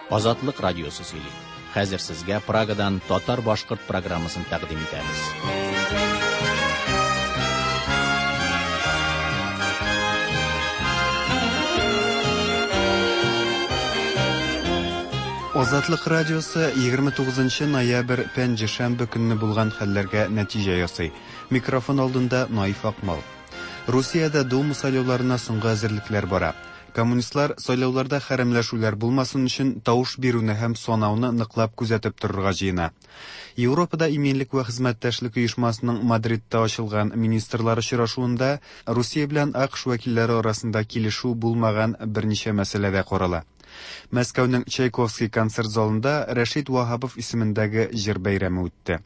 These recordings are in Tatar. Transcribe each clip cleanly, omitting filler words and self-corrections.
Азатлык радиосы сөйли. Хәзер сезгә Прагадан татар-башкорт программасын тәкъдим итәбез. Азатлык радиосы 29 ноябрь пәнҗешәмбе көнне булган хәлләргә нәтиҗә ясый. Микрофон алдында Наиф Акмал. Русиядә Дума сайлауларына соңгы әзерлекләр бара. Коммунистлар сайлауларда хәрәмләшүләр булмасын өчен тавыш бирүне һәм санауны ныклап күзәтеп торырга җыена. Европада иминлек вә хезмәттәшлек оешмасының Мадридта ачылган министрлар очрашуында Русия белән АКШ вәкилләре арасында килешү булмаган берничә мәсьәлә дә карала. Мәскәүнең Чайковский концерт залында Рәшит Ваһапов исемендәге җыр бәйрәме үтте.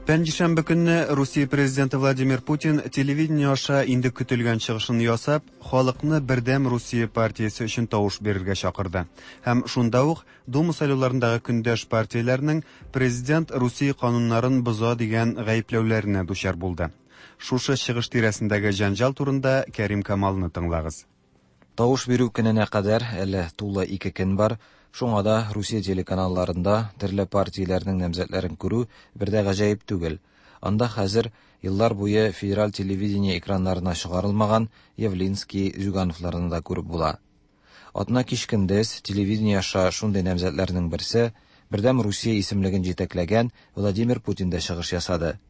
Пәнҗешәмбе көнне Русия президенты Владимир Путин телевидение аша инде көтелгән чыгышын ясап, халыкны Бердәм Русия партиясе өчен тавыш бирергә чакырды. Һәм шунда ук Дума сайлауларындагы көндәш партияләрнең президент Русия кануннарын боза дигән гаепләүләренә дучар булды. Шушы чыгыш тирәсендәге җәнҗал турында Кәрим Камалны тыңлагыз. Тавыш бирү көненә кадәр әле тулы 2 көн бар. Шуңа да Русия телеканалларында төрле партияләрнең намзәтләрен күрү бер дә гаҗәеп түгел. Анда хәзер еллар буе федераль телевидение экраннарына чыгарылмаган Явлинский, Зюгановларны да күреп була. Атна кич көндез телевидение аша шундый намзәтләрнең берсе Бердәм Русия исемлеген җитәкләгән Владимир Путин дә чыгыш ясады.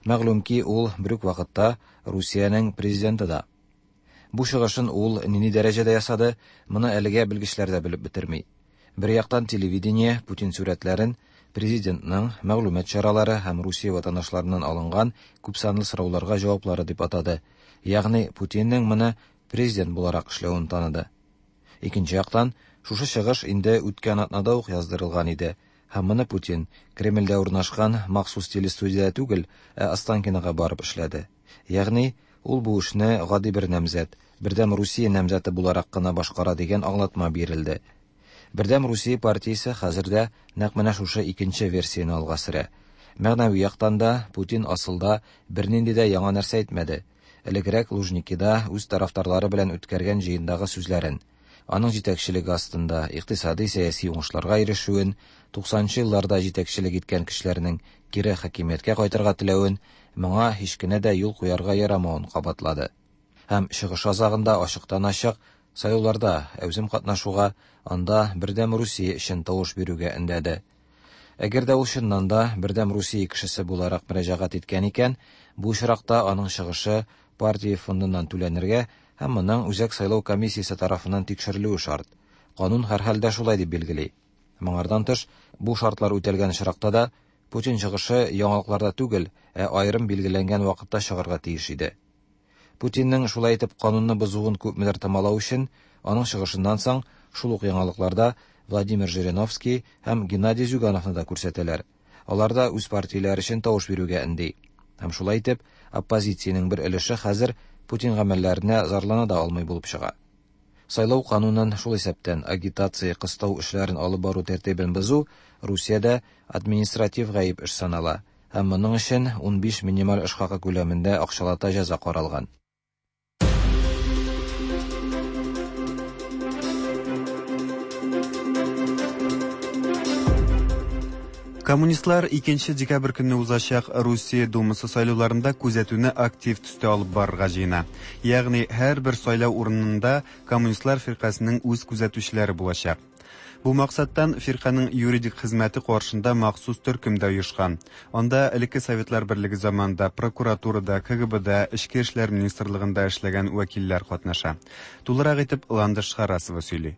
Мәгълүм ки, ул бер үк вакытта Русиянең президенты да. Бу чыгышын ул нинди дәрәҗәдә ясады, моны әлегә белгечләр дә белеп бетерми. Бер яктан телевидение Путин сурәтләрен президентның мәгълүмат чаралары һәм Русия ватандашларыннан алынган күпсанлы сорауларга җаваплары дип атады. Ягъни Путинның моны президент буларак эшләвен таныды. Икенче яктан, шушы чыгыш инде үткән атнада ук яздырылган иде. Һәм моны Путин Кремльдә урнашкан махсус телестудиядә түгел, ә Останкинога барып эшләде. Ягъни ул бу эшне гади бер намзәт, Бердәм Русия намзәте буларак кына башкара дигән аңлатма бирелде. Бердәм Русия партиясе хәзер дә нәкъ менә шушы икенче версияне алга сөрә. Мәгънәви яктан да Путин асылда бернинди дә яңа нәрсә әйтмәде. Элегрәк Лужникида үз тарафдарлары белән үткәргән җыендагы сүзләрен, аның җитәкчелеге астында икътисади сәяси уңышларга ирешүен, 90нчы елларда җитәкчелек иткән кешеләрнең кире хакимияткә кайтырга теләвен, моңа һич кенә дә юл куярга ярамавын кабатлады. Һәм чыгыш азагында ачыктан-ачык сайлауларда әүзем катнашуга, анда Бердәм Русия өчен тавыш бирүгә өндәде. Әгәр дә ул чыннан да Бердәм Русия кешесе буларак мөрәҗәгать иткән икән, бу очракта аның чыгышы партия фондыннан түләнергә һәм моның Үзәк сайлау комиссиясе тарафыннан тикшерелүе шарт. Канун һәрхәлдә шулай дип билгели. Моңардан тыш, бу шартлар үтәлгән очракта да Путин чыгышы яңалыкларда түгел, ә аерым билгеләнгән вакытта чыгарга тиеш иде. Путинның шулай итеп канунны бозуын күпмедер томалау өчен, аның чыгышыннан соң шул ук яңалыкларда Владимир Жириновский һәм Геннадий Зюгановны да күрсәтәләр. Алар да үз партияләре өчен тавыш бирүгә өнди. Һәм шулай итеп, оппозициянең бер өлеше хәзер Путин гамәлләренә зарлана да алмый булып чыга. Сайлау канунын, шул исәптән агитация, кыстау эшләрен алып бару тәртибен бозу Русиядә административ гаеп эш санала һәм моның өчен 15 минималь эш хакы күләмендә акчалата җәза каралган. Коммунистлар 2 декабрь көнне узачак Русия Думасы сайлауларында күзәтүне актив төстә алып барырга җыена. Ягъни һәрбер сайлау урынында коммунистлар фиркасының үз күзәтүчеләре булачак. Бу максаттан фирканың юридик хезмәте каршында махсус төркем дә оешкан. Анда элекке Советлар Берлеге заманында прокуратурада, КГБда, Эчке эшләр министрлыгында эшләгән вәкилләр катнаша. Тулырак итеп Ландыш Харасова сөйли.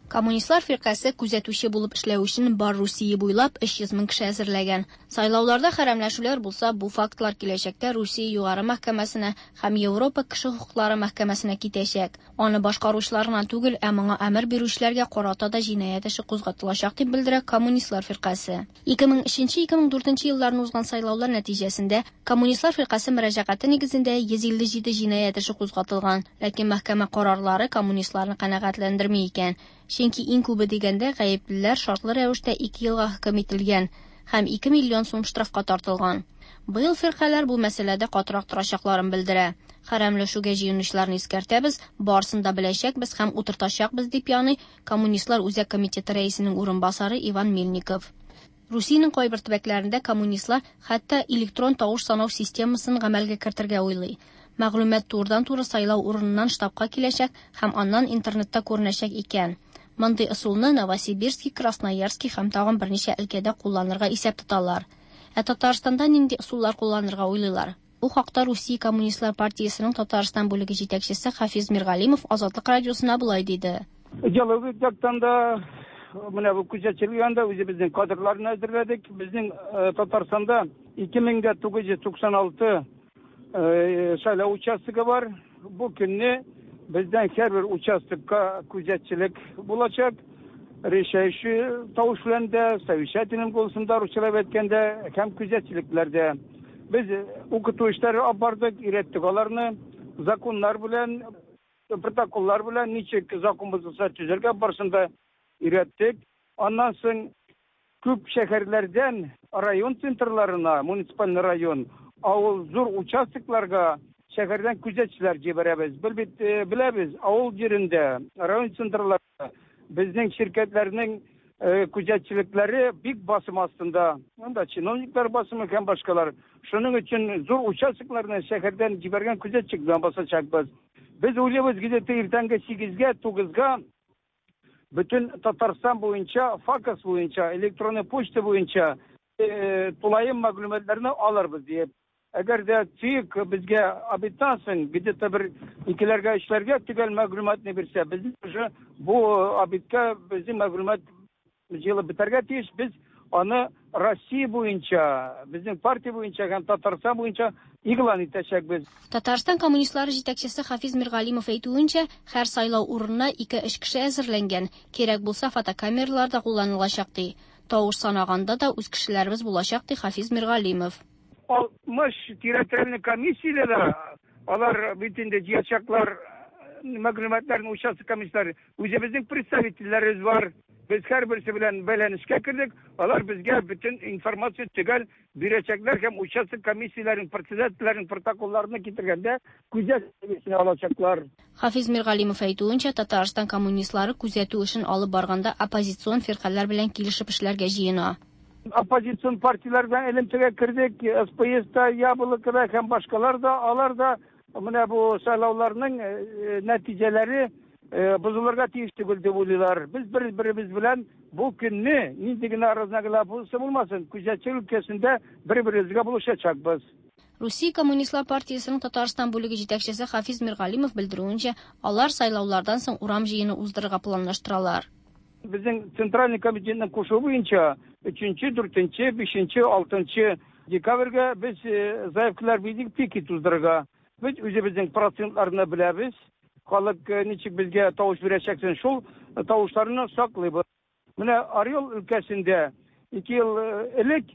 Коммунистлар фиркасе күзәтүче булып эшләү өчен бар Русия буйлап 300 мең кеше әзерләгән. Сайлауларда хәрәмләшүләр булса, бу фактлар киләчәктә Русия югары мәхкәмәсенә һәм Европа кеше хокуклары мәхкәмәсенә китәчәк. Аны башкаручылар гына түгел, ә моңа әмер бирүчеләргә карата да җинаять эше кузгатылачак дип белдерә Коммунистлар фиркасе. 2003-2004 елларны узган сайлаулар нәтиҗәсендә Коммунистлар фиркасе мөрәҗәгате нигезендә 157 җинаять эше кузгатылган, ләкин мәхкәмә карарлары коммунистларны канәгатьләндерми икән. Чөнки иң күбе дигәндә гаеплеләр шартлы рәвештә 2 елга хөкем ителгән. һәм 2 миллион сум штрафка тартылган. Быел фиркаләр бу мәсьәләдә катырак торачакларын белдерә. Хәрәмләшүгә җыенучыларны искәртәбез, барысын да беләчәкбез һәм утыртачакбыз, дип яный Коммунистлар Үзәк комитеты рәисенең урынбасары Иван Мельников. Русиянең кайбер төбәкләрендә коммунистлар хәтта электрон тавыш санау системасын гамәлгә кертергә уйлый. Мәгълүмат турыдан-туры сайлау урыныннан штабка киләчәк һәм аннан интернетта күренәчәк икән. Мондый ысулны Новосибирский, Красноярский һәм тагын берничә өлкәдә кулланырга исәп тоталар. Ә Татарстанда нинди ысуллар кулланырга уйлыйлар? Бу хакта Русия Коммунистлар партиясенең Татарстан бүлеге җитәкчесе Хафиз Миргалимов Азатлык радиосына болай диде. Идеологик яктан да менә бу күзәтчелек янында үзебезнең кадрларны әзерләдек. Безнең Татарстанда 2996 сайлау участогы бар. Бу көнне бездән һәрбер участокка күзәтчелек булачак. Решающий тавыш белән дә, совещательным голосом да русчалап әйткәндә һәм күзәтчелекләрдә. Без укыту эшләре алып бардык, өйрәттек аларны законнар белән, протоколлар белән ничек закон бозылса төзергә барысын да өйрәттек. Аннан соң күп шәһәрләрдән район центрларына, муниципаль район, авыл зур участокларга шәһәрдән күзәтчеләр җибәрәбез. Бел бит беләбез, авыл җирендә, район центрларында безнең ширкәтләрнең күзәтчелекләре бик басым астында. Анда чиновниклар басымы һәм башкалар. Шуның өчен зур участокларны шәһәрдән җибәргән күзәтчек белән басачакбыз. Без уйлыйбыз, где-то иртәнге 8-гә, 9-га бөтен Татарстан буенча, ФАКС буенча, электронный почта буенча тулаем мәгълүматларны алырбыз диеп. Әгәр дә ЦИК безгә обедтан соң где-то бер икеләргә, өчләргә төгәл мәгълүматны бирсә, без уже бу обедка безнең мәгълүмат җыелып бетәргә тиеш. Без аны Россия буенча, безнең партия буенча һәм Татарстан буенча игълан итәчәкбез. Татарстан коммунистлары җитәкчесе Хафиз Миргалимов әйтүенчә, һәр сайлау урынына 2-3 кеше әзерләнгән. Кирәк булса, фотокамералар да кулланылачак ди. Тавыш санаганда да үз кешеләребез булачак ди Хафиз Миргалимов. 60 территориальный комиссияләр, алар бит инде җыячаклар мәгълүматларын участок комиссияләре. Үзебезнең представительләребез бар. Без һәрберсе белән бәйләнешкә кердек. Алар безгә бөтен информация төгәл бирәчәкләр һәм участок комиссияләренең председательләренең протоколларны китергәндә күзәтү алачаклар. Хафиз Миргалимов әйтүенчә, Татарстан коммунистлары күзәтү эшен алып барганда оппозицион фиркаләр белән килешеп эшләргә җыена. Оппозицион партияләр белән элемтәгә кердек, СПС та, Яблоко да һәм башкалар да, алар да менә бу сайлауларның нәтиҗәләре бозылырга тиеш түгел дип уйлыйлар. Без бер-беребез белән бу көнне нинди генә разногласие булмасын, күзәтчелек өлкәсендә бер-беребезгә булышачакбыз. Русия Коммунистлар партиясенең Татарстан бүлеге җитәкчесе Хафиз Миргалимов белдерүенчә, алар сайлаулардан соң урам җыены уздырырга планлаштыралар. Безнең Центральный комитетның кушуы буенча 3-нче, 4-нче, 5-нче, 6-нчы декабрьгә без заявкалар бирдек пикет уздырырга. Без үзебезнең процентларны беләбез. Халык ничек безгә тавыш бирәчәксен, шул тавышларны саклыйбыз. Менә Орел өлкәсендә 2 ел элек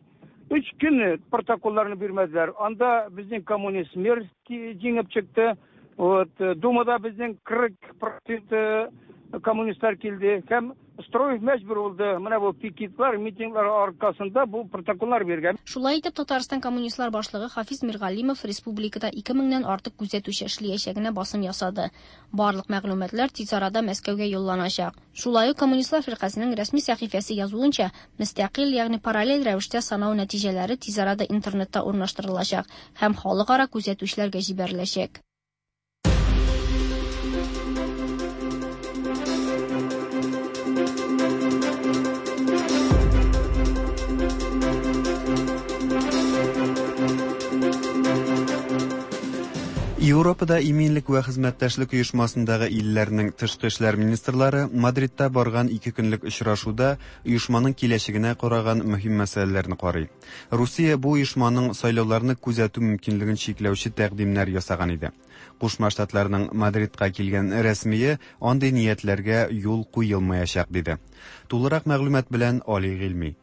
3 көн протоколларны бирмәделәр. Анда безнең коммунист мэр җиңеп чыкты. Вот, Думада безнең 40% коммунистлар килде. Һәм Строев мәҗбүр булды. Менә бу пикетлар, митинглар аркасында бу протоколлар биргән. Шулай итеп, Татарстан коммунистлар башлыгы Хафиз Миргалимов республикада 2000-нән артык күзәтүче эшләячәгенә басым ясады. Барлык мәгълүматлар тиз арада Мәскәүгә юлланачак. Шулай ук Коммунистлар фиркасының рәсми сәхифәсе язуынча, мөстәкыйль, ягъни параллель рәвештә санау нәтиҗәләре тиз арада интернетта урнаштырылачак һәм халыкара күзәтүчеләргә җибәреләчәк. Европада иминлек вә хезмәттәшлек оешмасындагы илләрнең тышкы эшләр министрлары Мадридта барган ике көнлек очрашуда оешманың киләчәгенә караган мөһим мәсьәләләрне карый. Русия бу оешманың сайлауларны күзәтү мөмкинлеген чикләүче тәкъдимнәр ясаган иде. Кушма Штатларның Мадридка килгән рәсмие андый ниятләргә юл куелмаячак диде. Тулырак мәгълүмат белән Али Гыйльми.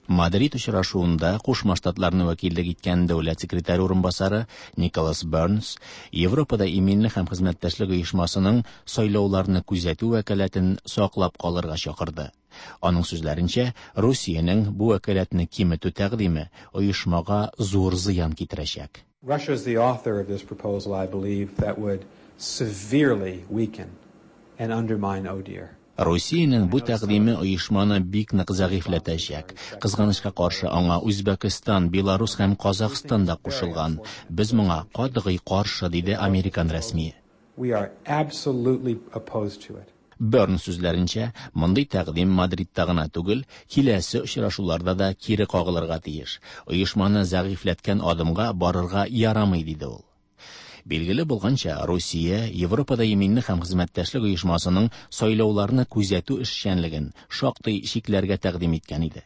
Мадрид очрашуында Кушма Штатларны вәкиллек иткән дәүләт секретаре урынбасары Николас Бернс Европада иминлек һәм хезмәттәшлек оешмасының сайлауларны күзәтү вәкаләтен саклап калырга чакырды. Аның сүзләренчә, Русиянең бу вәкаләтне киметү тәкъдиме оешмага зур зыян китерәчәк. Russia is the author of this proposal, I believe, that would severely weaken and undermine ODIHR. Русиянең бу тәкъдиме оешманы бик нык зәгыйфьләтәчәк. Кызганычка каршы, аңа Үзбәкстан, Беларус һәм Казахстан да кушылган. Без моңа катгый каршы, диде американ рәсмие. We are absolutely opposed to it. Бернс сүзләренчә, мондый тәкъдим Мадридта гына түгел, киләсе очрашуларда да кире кагылырга тиеш. Оешманы зәгыйфьләткән адымга барырга ярамый, диде ул. Билгеле булганча, Русия Европада иминлек һәм хезмәттәшлек оешмасының сайлауларны күзәтү эшчәнлеген шактый чикләргә тәкъдим иткән иде.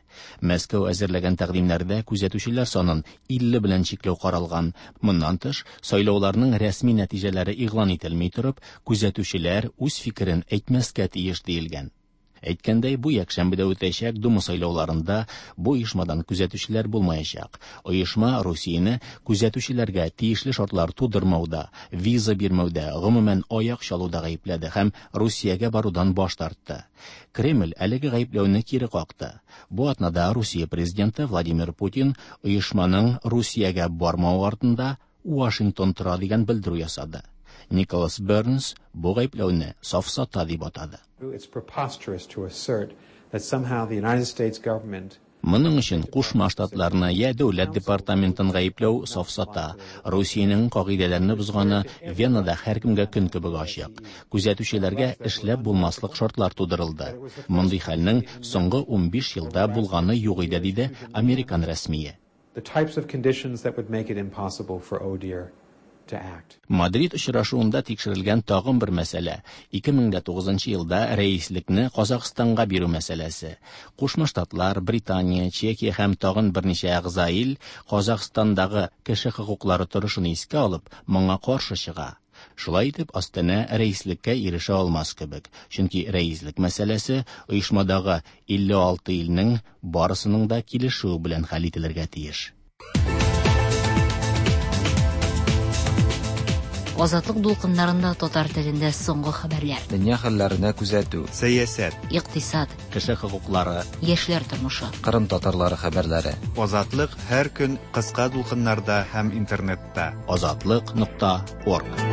Мәскәү әзерләгән тәкъдимнәрдә күзәтүчеләр санын 50 белән чикләү каралган. Моннан тыш, сайлауларның рәсми нәтиҗәләре игълан ителми торып, күзәтүчеләр үз фикерен әйтмәскә тиеш диелгән. Әйткәндәй, бу якшәмбедә үтәчәк Дума сайлауларында бу оешмадан күзәтүчеләр булмаячак. Оешма Русияне күзәтүчеләргә тиешле шартлар тудырмауда, виза бирмәүдә, гомумән аяк чалуда гаепләде һәм Русиягә барудан баш тартты. Кремль әлеге гаепләүне кире какты. Бу атнада Русия президенты Владимир Путин оешманың Русиягә бармавы артында Вашингтон тора дигән белдерү ясады. Николас Бернс бу гаепләүне сафсата дип атады. It's preposterous to assert that somehow the United States government Моның өчен Кушма Штатларны я дәүләт департаментын гаепләү сафсата. Русиянең кагыйдәләрне бозганы Венада һәркемгә көн кебек ачык. Күзәтүчеләргә эшләп булмаслык шартлар тудырылды. Мондый хәлнең соңгы 15 елда булганы юк иде, диде американ рәсмие. the types of conditions that would make it impossible for ODIHR to act. Мадрид очрашуында тикшерелгән тагын бер мәсьәлә 2009 елда рәислекне Казахстанга бирү мәсьәләсе. Кушма Штатлар, Британия, Чехия һәм тагын берничә әгъза ил Казахстандагы кеше хокуклары торышын искә алып, моңа каршы чыга. Шулай итеп, Астана рәислеккә ирешә алмас кебек, чөнки рәислек мәсьәләсе оешмадагы 56 илнең барысының да килешүе белән хәл ителергә тиеш. Азатлык дулкыннарында татар телендә соңгы хәбәрләр. Дөнья хәлләренә күзәтү. Сәясәт, Икътисад, Кеше хокуклары, яшьләр тормышы. Кырым татарлары хәбәрләре. Азатлык һәр көн кыска дулкыннарда һәм интернетта. Азатлык.орг.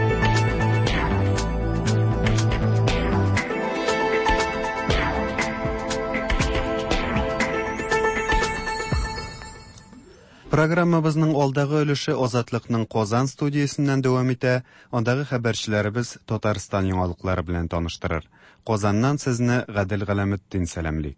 Программабызның алдагы өлеше Азатлыкның Казан студиясеннән дәвам итә. Андагы хәбәрчеләребез Татарстан яңалыклары белән таныштырыр. Казаннан сезне Гадел Галәметдин сәламли.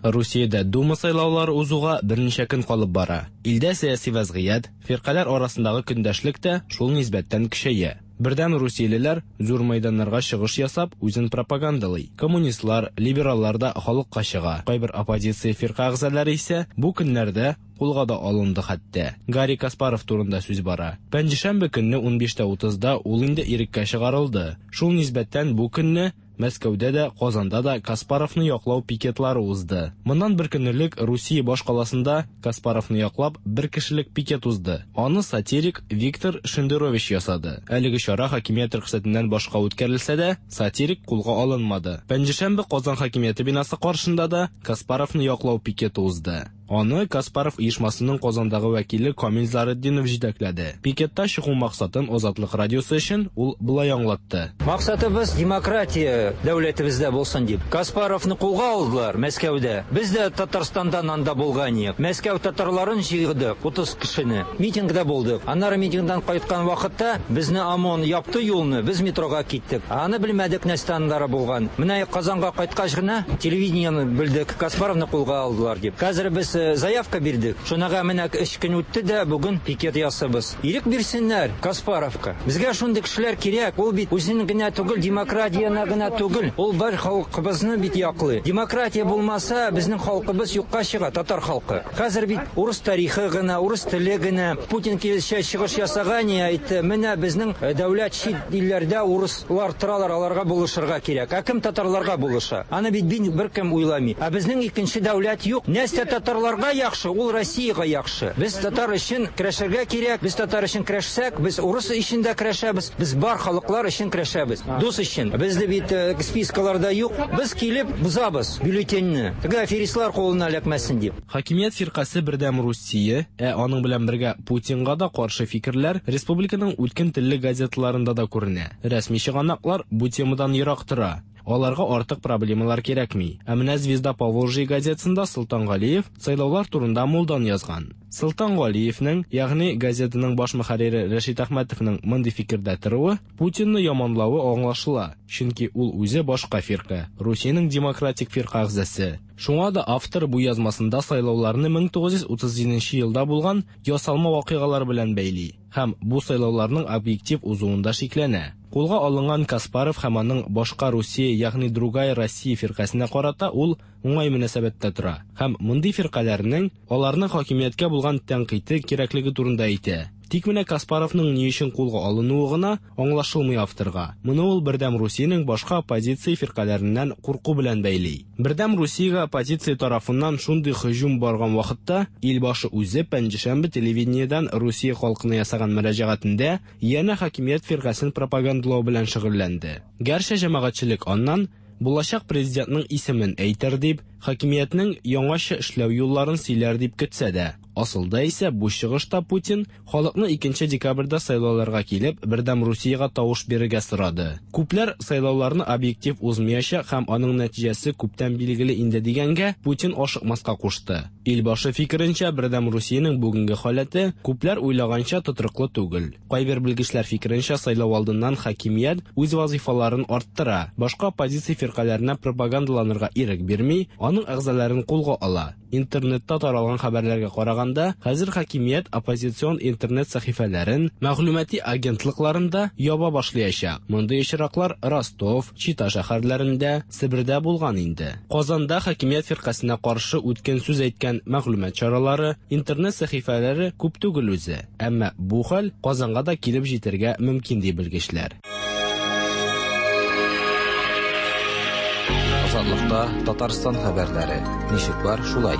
Русиядә Дума сайлаулары узуга берничә көн калып бара. Илдә сәяси вәзгыять, фиркаләр арасындагы көндәшлек тә шул нисбәттән көчәя. Бердәм русиялеләр зур мәйданнарга чыгыш ясап, үзен пропагандалый. Коммунистлар, либераллар да халыкка чыга. Кайбер оппозиция фирка әгъзалары исә бу көннәрдә кулга да алынды хәтта. Гарри Каспаров турында сүз бара. Пәнҗешәмбе көнне 15:30да ул инде иреккә чыгарылды. Шул нисбәттән бу көнне Мәскәүдә дә, Казанда да Каспаровны яклау пикетлары узды. Моннан бер көн элек Русия баш каласында Каспаровны яклап бер кешелек пикет узды. Аны сатирик Виктор Шендерович ясады. Әлеге чара хакимият рөхсәтеннән башка үткәрелсә дә, сатирик кулга алынмады. Пәнҗешәмбе Казан хакимияте бинасы каршында да Каспаровны яклау пикеты узды. Аны Каспаров оешмасының Казандагы вәкиле Камил Заретдинов җитәкләде. Пикетта чыгу максатын Азатлык радиосы өчен ул болай аңлатты. Максатыбыз демократия дәүләтебездә булсын дип. Каспаровны кулга алдылар Мәскәүдә. Без дә Татарстандан анда булган идек. Мәскәү татарларын җыйдык, 30 кешене. Митингда булдык. Аннары митингдан кайткан вакытта безне ОМОН япты юлны, без метрога киттек. Аны белмәдек нәрсә аннары булган. Менә Казанга кайткач кына телевидениене белдек, Каспаровны кулга алдылар дип. Хәзер без заявка бирдек. Шунага менә 3 көн үтте дә бүген пикет ясабыз. Ирек бирсеннәр Каспаровка. Безгә шундый кешеләр кирәк. Ул бит үзен генә түгел, демократияне генә түгел. Ул бар халкыбызны бит яклый. Демократия булмаса, безнең халкыбыз юкка чыга, татар халкы. Хәзер бит урыс тарихы гына, урыс теле генә. Путин килешә чыгыш ясаган, әйтте, менә безнең дәүләт чит илләрдә урыслар торалар, аларга булышырга кирәк. Ә кем татарларга булыша? Аны бит беркем уйламый. Ә безнең икенче дәүләт юк. Нәрсә татарлар татарларга яхшы, ул Россиягә яхшы. Без татар өчен көрәшергә кирәк. Без татар өчен көрәшсәк, без урыс өчен дә көрәшәбез. Без бар халыклар өчен көрәшәбез. Дус өчен. Безне бит спискаларда юк. Без килеп бозабыз бюллетеньне. Теге аферистлар кулына эләкмәсен дип. Хакимият фиркасе Бердәм Русия, ә аның белән бергә Путинга да каршы фикерләр республиканың үткен телле газеталарында да күренә. Рәсми чыганаклар бу темадан ерак тора. Аларга артык проблемалар кирәкми. Ә менә Звезда Поволжья газетасында Солтан Галиев сайлаулар турында мулдан язган. Солтан Галиевнең, ягъни газетаның баш мөхәррире Рәшит Әхмәтовның мондый фикердә торуы, Путинны яманлавы аңлашыла, чөнки ул үзе башка фирка, Русиянең демократик фирка әгъзасы. Шуңа да автор бу язмасында сайлауларны 1937 елда булган ясалма вакыйгалар белән бәйли һәм бу сайлауларның объектив узуында шикләнә. Кулга алынган Каспаров һәм аның Башка Русия, ягъни Другая Россия фиркасенә карата ул уңай мөнәсәбәттә тора һәм мондый фиркаләрнең аларның хакимияткә булган тәнкыйте кирәклеге турында әйтә. Тик менә Каспаровның ни өчен кулга алынуы гына аңлашылмый авторга. Моны ул Бердәм Русиянең башка оппозиция фиркаләреннән курку белән бәйли. Бердәм Русиягә оппозиция тарафыннан шундый һөҗүм барган вакытта, Илбашы үзе пәнҗешәмбе телевидениедән Русия халкына ясаган мөрәҗәгатендә янә хакимият фиркасен пропагандалау белән шөгыльләнде. Гәрчә җәмәгатьчелек аннан булачак президентның исемен әйтер дип, хакимиятнең яңача эшләү юлларын сөйләр дип көтсә дә, асылда исә бу чыгышта Путин халыкны 2 декабрьдә сайлауларга килеп, Бердәм Русиягә тавыш бирергә сорады. Күпләр сайлауларны объектив узмаячак һәм аның нәтиҗәсе күптән билгеле инде дигәнгә, Путин ашыкмаска кушты. Илбашы фикеренчә, Бердәм Русиянең бүгенге халәте күпләр уйлаганча тотрыклы түгел. Кайбер белгечләр фикеренчә, сайлау алдыннан хакимият үз вазифаларын арттыра, башка оппозиция фиркаләренә пропагандаланырга ирек бирми, аның әгъзаларын кулга ала. Интернетта таралган хәбәрләргә караганда, хәзер хакимият оппозицион интернет сәхифәләрен, мәгълүмати агентлыкларын да яба башлаячак. Мондый очраклар Ростов, Чита шәһәрләрендә, Себердә булган инде. Казанда хакимият фиркасенә каршы үткен сүз әйткән мәгълүмат чаралары, интернет сәхифәләре күп түгел үзе. Әмма бу хәл Казанга да килеп җитәргә мөмкин ди белгечләр. Азатлыкта Татарстан хәбәрләре. Ничек бар, шулай.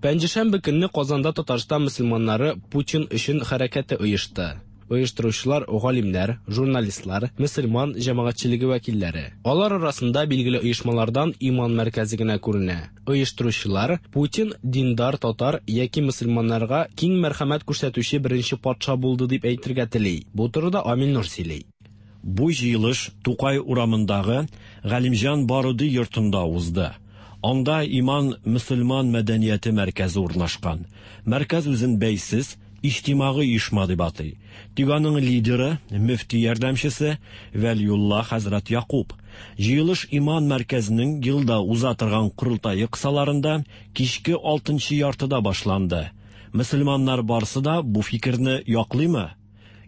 Пәнҗешәмбе көнне Казанда Татарстан мөселманнары Путин өчен хәрәкәте оешты. Оештыручылар галимнәр, журналистлар, мөселман җәмәгатьчелеге вәкилләре. Алар арасында билгеле оешмалардан Иман мәркәзе генә күренә. Оештыручылар Путин диндар татар яки мөселманнарга киң мәрхәмәт күрсәтүче беренче патша булды дип әйтергә тели. Бу турыда Амил Нур сөйли. Бу җыелыш Тукай урамындагы Галимҗан Баруди йортында узды. Анда Иман мөселман мәдәнияте мәркәзе урнашкан. Мәркәз үзен бәйсез, иҗтимагый оешма дип атый. Тик аның лидеры, мөфти ярдәмчесе Вәлиулла хәзрәт Якуб. Җыелыш Иман мәркәзенең елда уза торган корылтае кысаларында кичке 6:30 башланды. Мөселманнар барсы да бу фикерне яклыймы?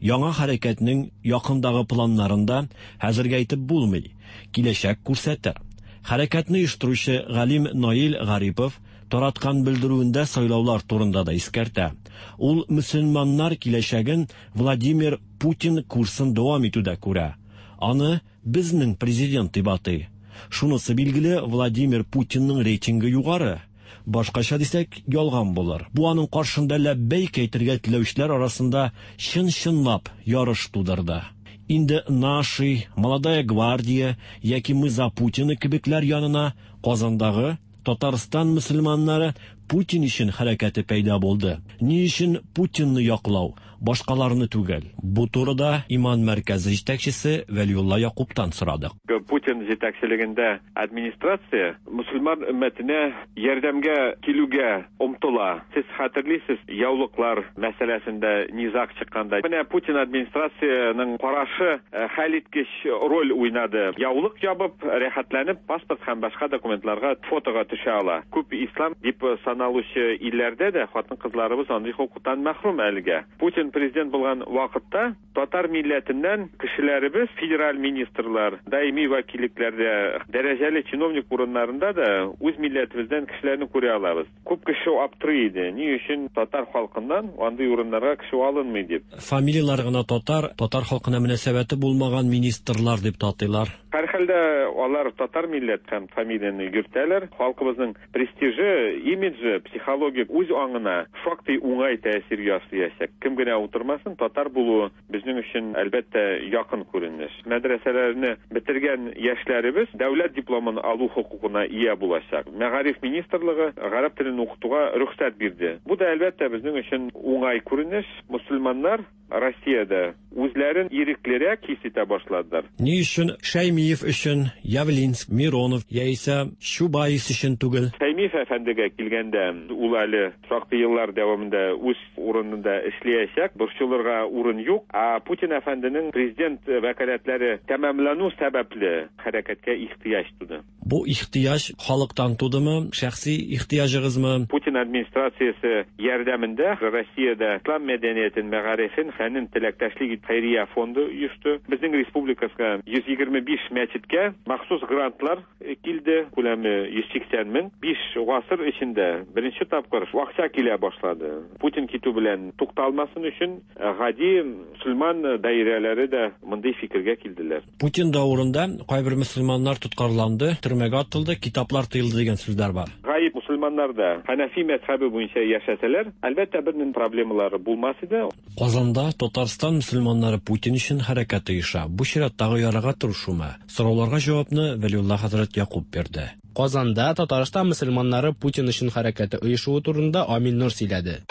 Яңа хәрәкәтнең якындагы планнарында хәзергә әйтеп булмый. Киләчәк күрсәтер. Хәрәкәтне оештыручы галим Наил Гарипов тараткан белдерүендә сайлаулар турында да искәртә. Ул мөселманнар киләчәген Владимир Путин курсын дәвам итүдә күрә. Аны безнең президент дип атый. Шунысы билгеле, Владимир Путинның рейтингы югары. Башкача дисәк, ялган булыр. Бу аның каршында ләббәйк әйтергә теләүчеләр арасында чын-чынлап ярыш тудырды. Инде Наши, Молодая гвардия яки Мы за Путина кебекләр янына Казандагы Татарстан мөселманнары Путин өчен хәрәкәте пәйда булды. Ни өчен Путинны яклау, башкаларны түгел? Бу турыда Иман мәркәзе җитәкчесе Вәлиулла Якубтан сорадык. Путин җитәкчелегендә администрация мөселман өммәтенә ярдәмгә килүгә омтыла. Сез хәтерлисез, яулыклар мәсьәләсендә низаг чыкканда. Менә Путин администрацияның карашы хәлиткеч роль уйнады. Яулык ябып, рәхәтләнеп, паспорт һәм башка документларга фотога төшә ала. Күп ислам дип саналучы илләрдә дә хатын-кызларыбыз андый хокуктан мәхрүм әлегә. Путин Путин президент булган вакытта татар милләтеннән кешеләребез федераль министрлар, даими вәкиллекләрдә, дәрәҗәле чиновник урыннарында да үз милләтебездән кешеләрне күрә алабыз. Күп кеше аптырый иде, ни өчен татар халкыннан андый урыннарга кеше алынмый дип. Фамилияләре генә татар, татар халкына мөнәсәбәте булмаган министрлар дип тә атыйлар. Һәрхәлдә алар татар милләт һәм фамилияне йөртәләр. Халкыбызның престижы, имиджы, психологик үз аңына шактый уңай тәэсир ясыячак. Кем генә утырмасын, татар булуы безнең өчен, әлбәттә, якын күренеш. Мәдрәсәләрне бетергән яшьләребез дәүләт дипломын алу хокукына ия булачак. Мәгариф министрлыгы гарәп телен укытуга рөхсәт бирде. Бу да, әлбәттә, безнең өчен уңай күренеш. Мөселманнар Россиядә үзләрен иреклерәк хис итә башладылар. Ни өчен Шәймиев өчен, Явлинск, Миронов яисә Чубайс өчен түгел? Шәймиев әфәндегә килгәндә, ул әле шактый еллар дәвамында үз урынында эшләячәк, борчылырга урын юк. Ә Путин әфәнденең президент вәкаләтләре тәмамлану сәбәпле хәрәкәткә ихтыяҗ туды. Бу ихтыяҗ халыктан тудымы, шәхси ихтыяҗыгызмы? Путин администрациясе ярдәмендә Россиядә ислам мәдәниятен, мәгарифен, фәнен теләктәшлек ит хәйрия фонды оешты. Безнең республикасына 125 мәчеткә махсус грантлар килде, күләме 180 мең. 5 гасыр эчендә беренче тапкыр акча килә башлады. Путин китү белән тукталмасын өчен гади мөселман даирәләре дә мондый фикергә килделәр. Путин дәверендә кайбер мөселманнар тоткарланды, төрмәгә атылды, китаплар тыелды дигән сүзләр бар. Гаеп мөселманнар да Хәнәфи мәзһәбе буенча яшәсәләр, әлбәттә, бернинди проблемалары булмас иде. Казанда Татарстан мөселманнары Путин өчен хәрәкәт оеша. Бу чираттагы ярага торышумы? Сорауларга җавапны Вәлиулла хәзрәт Якуб бирде. Казанда Татарстан мөселманнары Путин өчен хәрәкәте оешуы турында Амин Нур сөйләде.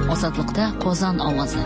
Азатлыкта Казан авазы.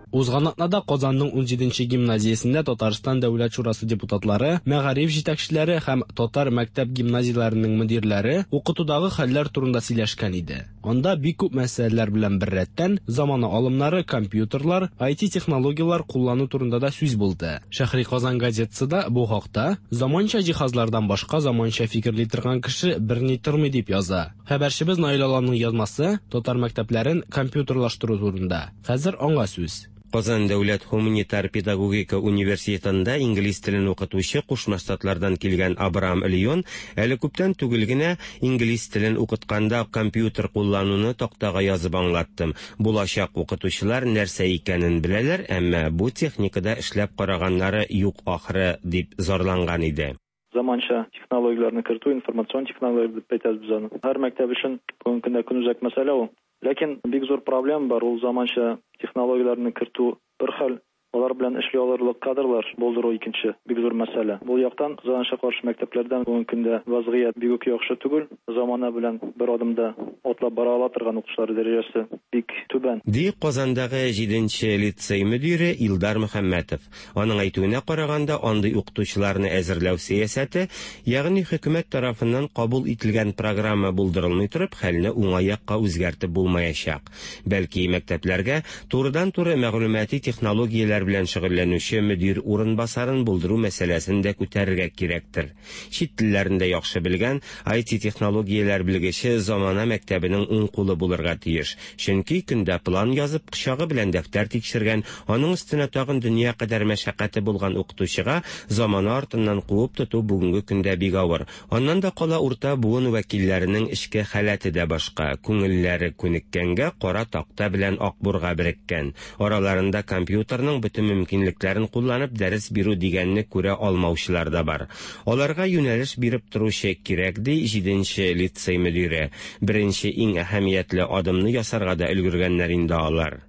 Узган атнада Казанның 17 гимназиясендә Татарстан Дәүләт шурасы депутатлары, мәгариф җитәкчеләре һәм татар мәктәп гимназияләренең мөдирләре укытудагы хәлләр турында сөйләшкән иде. Анда бик күп мәсьәләләр белән беррәттән замана алымнары, компьютерлар, IT технологияләр куллану турында да сүз булды. Шәһри Казан газетасы да бу хакта заманча җиһазлардан башка заманча фикерли торган кеше берни тормый дип яза. Хәбәрчебез Наил Аланның язмасы татар мәктәпләрен компьютерлаштыру турында. Хәзер аңа сүз. Казан дәүләт һуманитар педагогика университетында инглиз телен укытучы Кушма Штатлардан килгән Абрам Леон әле күптән түгел генә инглиз телен укытканда компьютер куллануны тактага язып аңлаттым. Булачак укытучылар нәрсә икәнен беләләр, әмма бу техникада эшләп караганнары юк ахры, дип зарланган иде. Заманча технологияләрне кертү, информацион технологияләр дип әйтәбез без аны. Һәр мәктәп өчен бүгенге көндә көнүзәк мәсьәлә ул. Ләкин бик зур проблема бар, ул заманча технологияләрне кертү бер хәл, алар белән эшли алырлык кадрлар булдыру икенче бик зур мәсьәлә. Бу яктан кызганычка каршы мәктәпләрдән бүгенге көндә вазгыять бик үк яхшы түгел. Замана белән бер адымда атлап бара ала торган укытучылар дәрәҗәсе бик түбән. Ди Казандагы 7 лицей мөдире Илдар Мөхәммәтов. Аның әйтүенә караганда, андый укытучыларны әзерләү сәясәте, ягъни хөкүмәт тарафыннан кабул ителгән программа булдырылмый торып, хәлне уңай якка үзгәртеп булмаячак. Бәлки мәктәпләргә турыдан-туры мәгълүмати технологияләр белән шөгыльләнүче мөдир урынбасарын булдыру мәсьәләсен дә күтәрергә кирәктер. Чит телләрен дә яхшы белгән IT технологияләр белгече замана мәктәбенең уң кулы булырга тиеш. Чөнки көндә план язып, кочагы белән дәфтәр тикшергән, аның өстенә тагын дөнья кадәр мәшәкате булган укытучыга замана артыннан куып тоту бүгенге көндә бик авыр. Аннан да кала урта буын вәкилләренең эчке халәте дә башка, күңелләре күнеккәнгә кара такта белән акбурга береккән. Араларында компьютерның бөтен мөмкинлекләрен кулланып дәрес бирү дигәнне күрә алмаучылар да бар. Аларга юнәлеш биреп торучы кирәк, ди 7 лицей мөдире. Беренче иң әһәмиятле адымны ясарга да өлгергәннәр инде алар.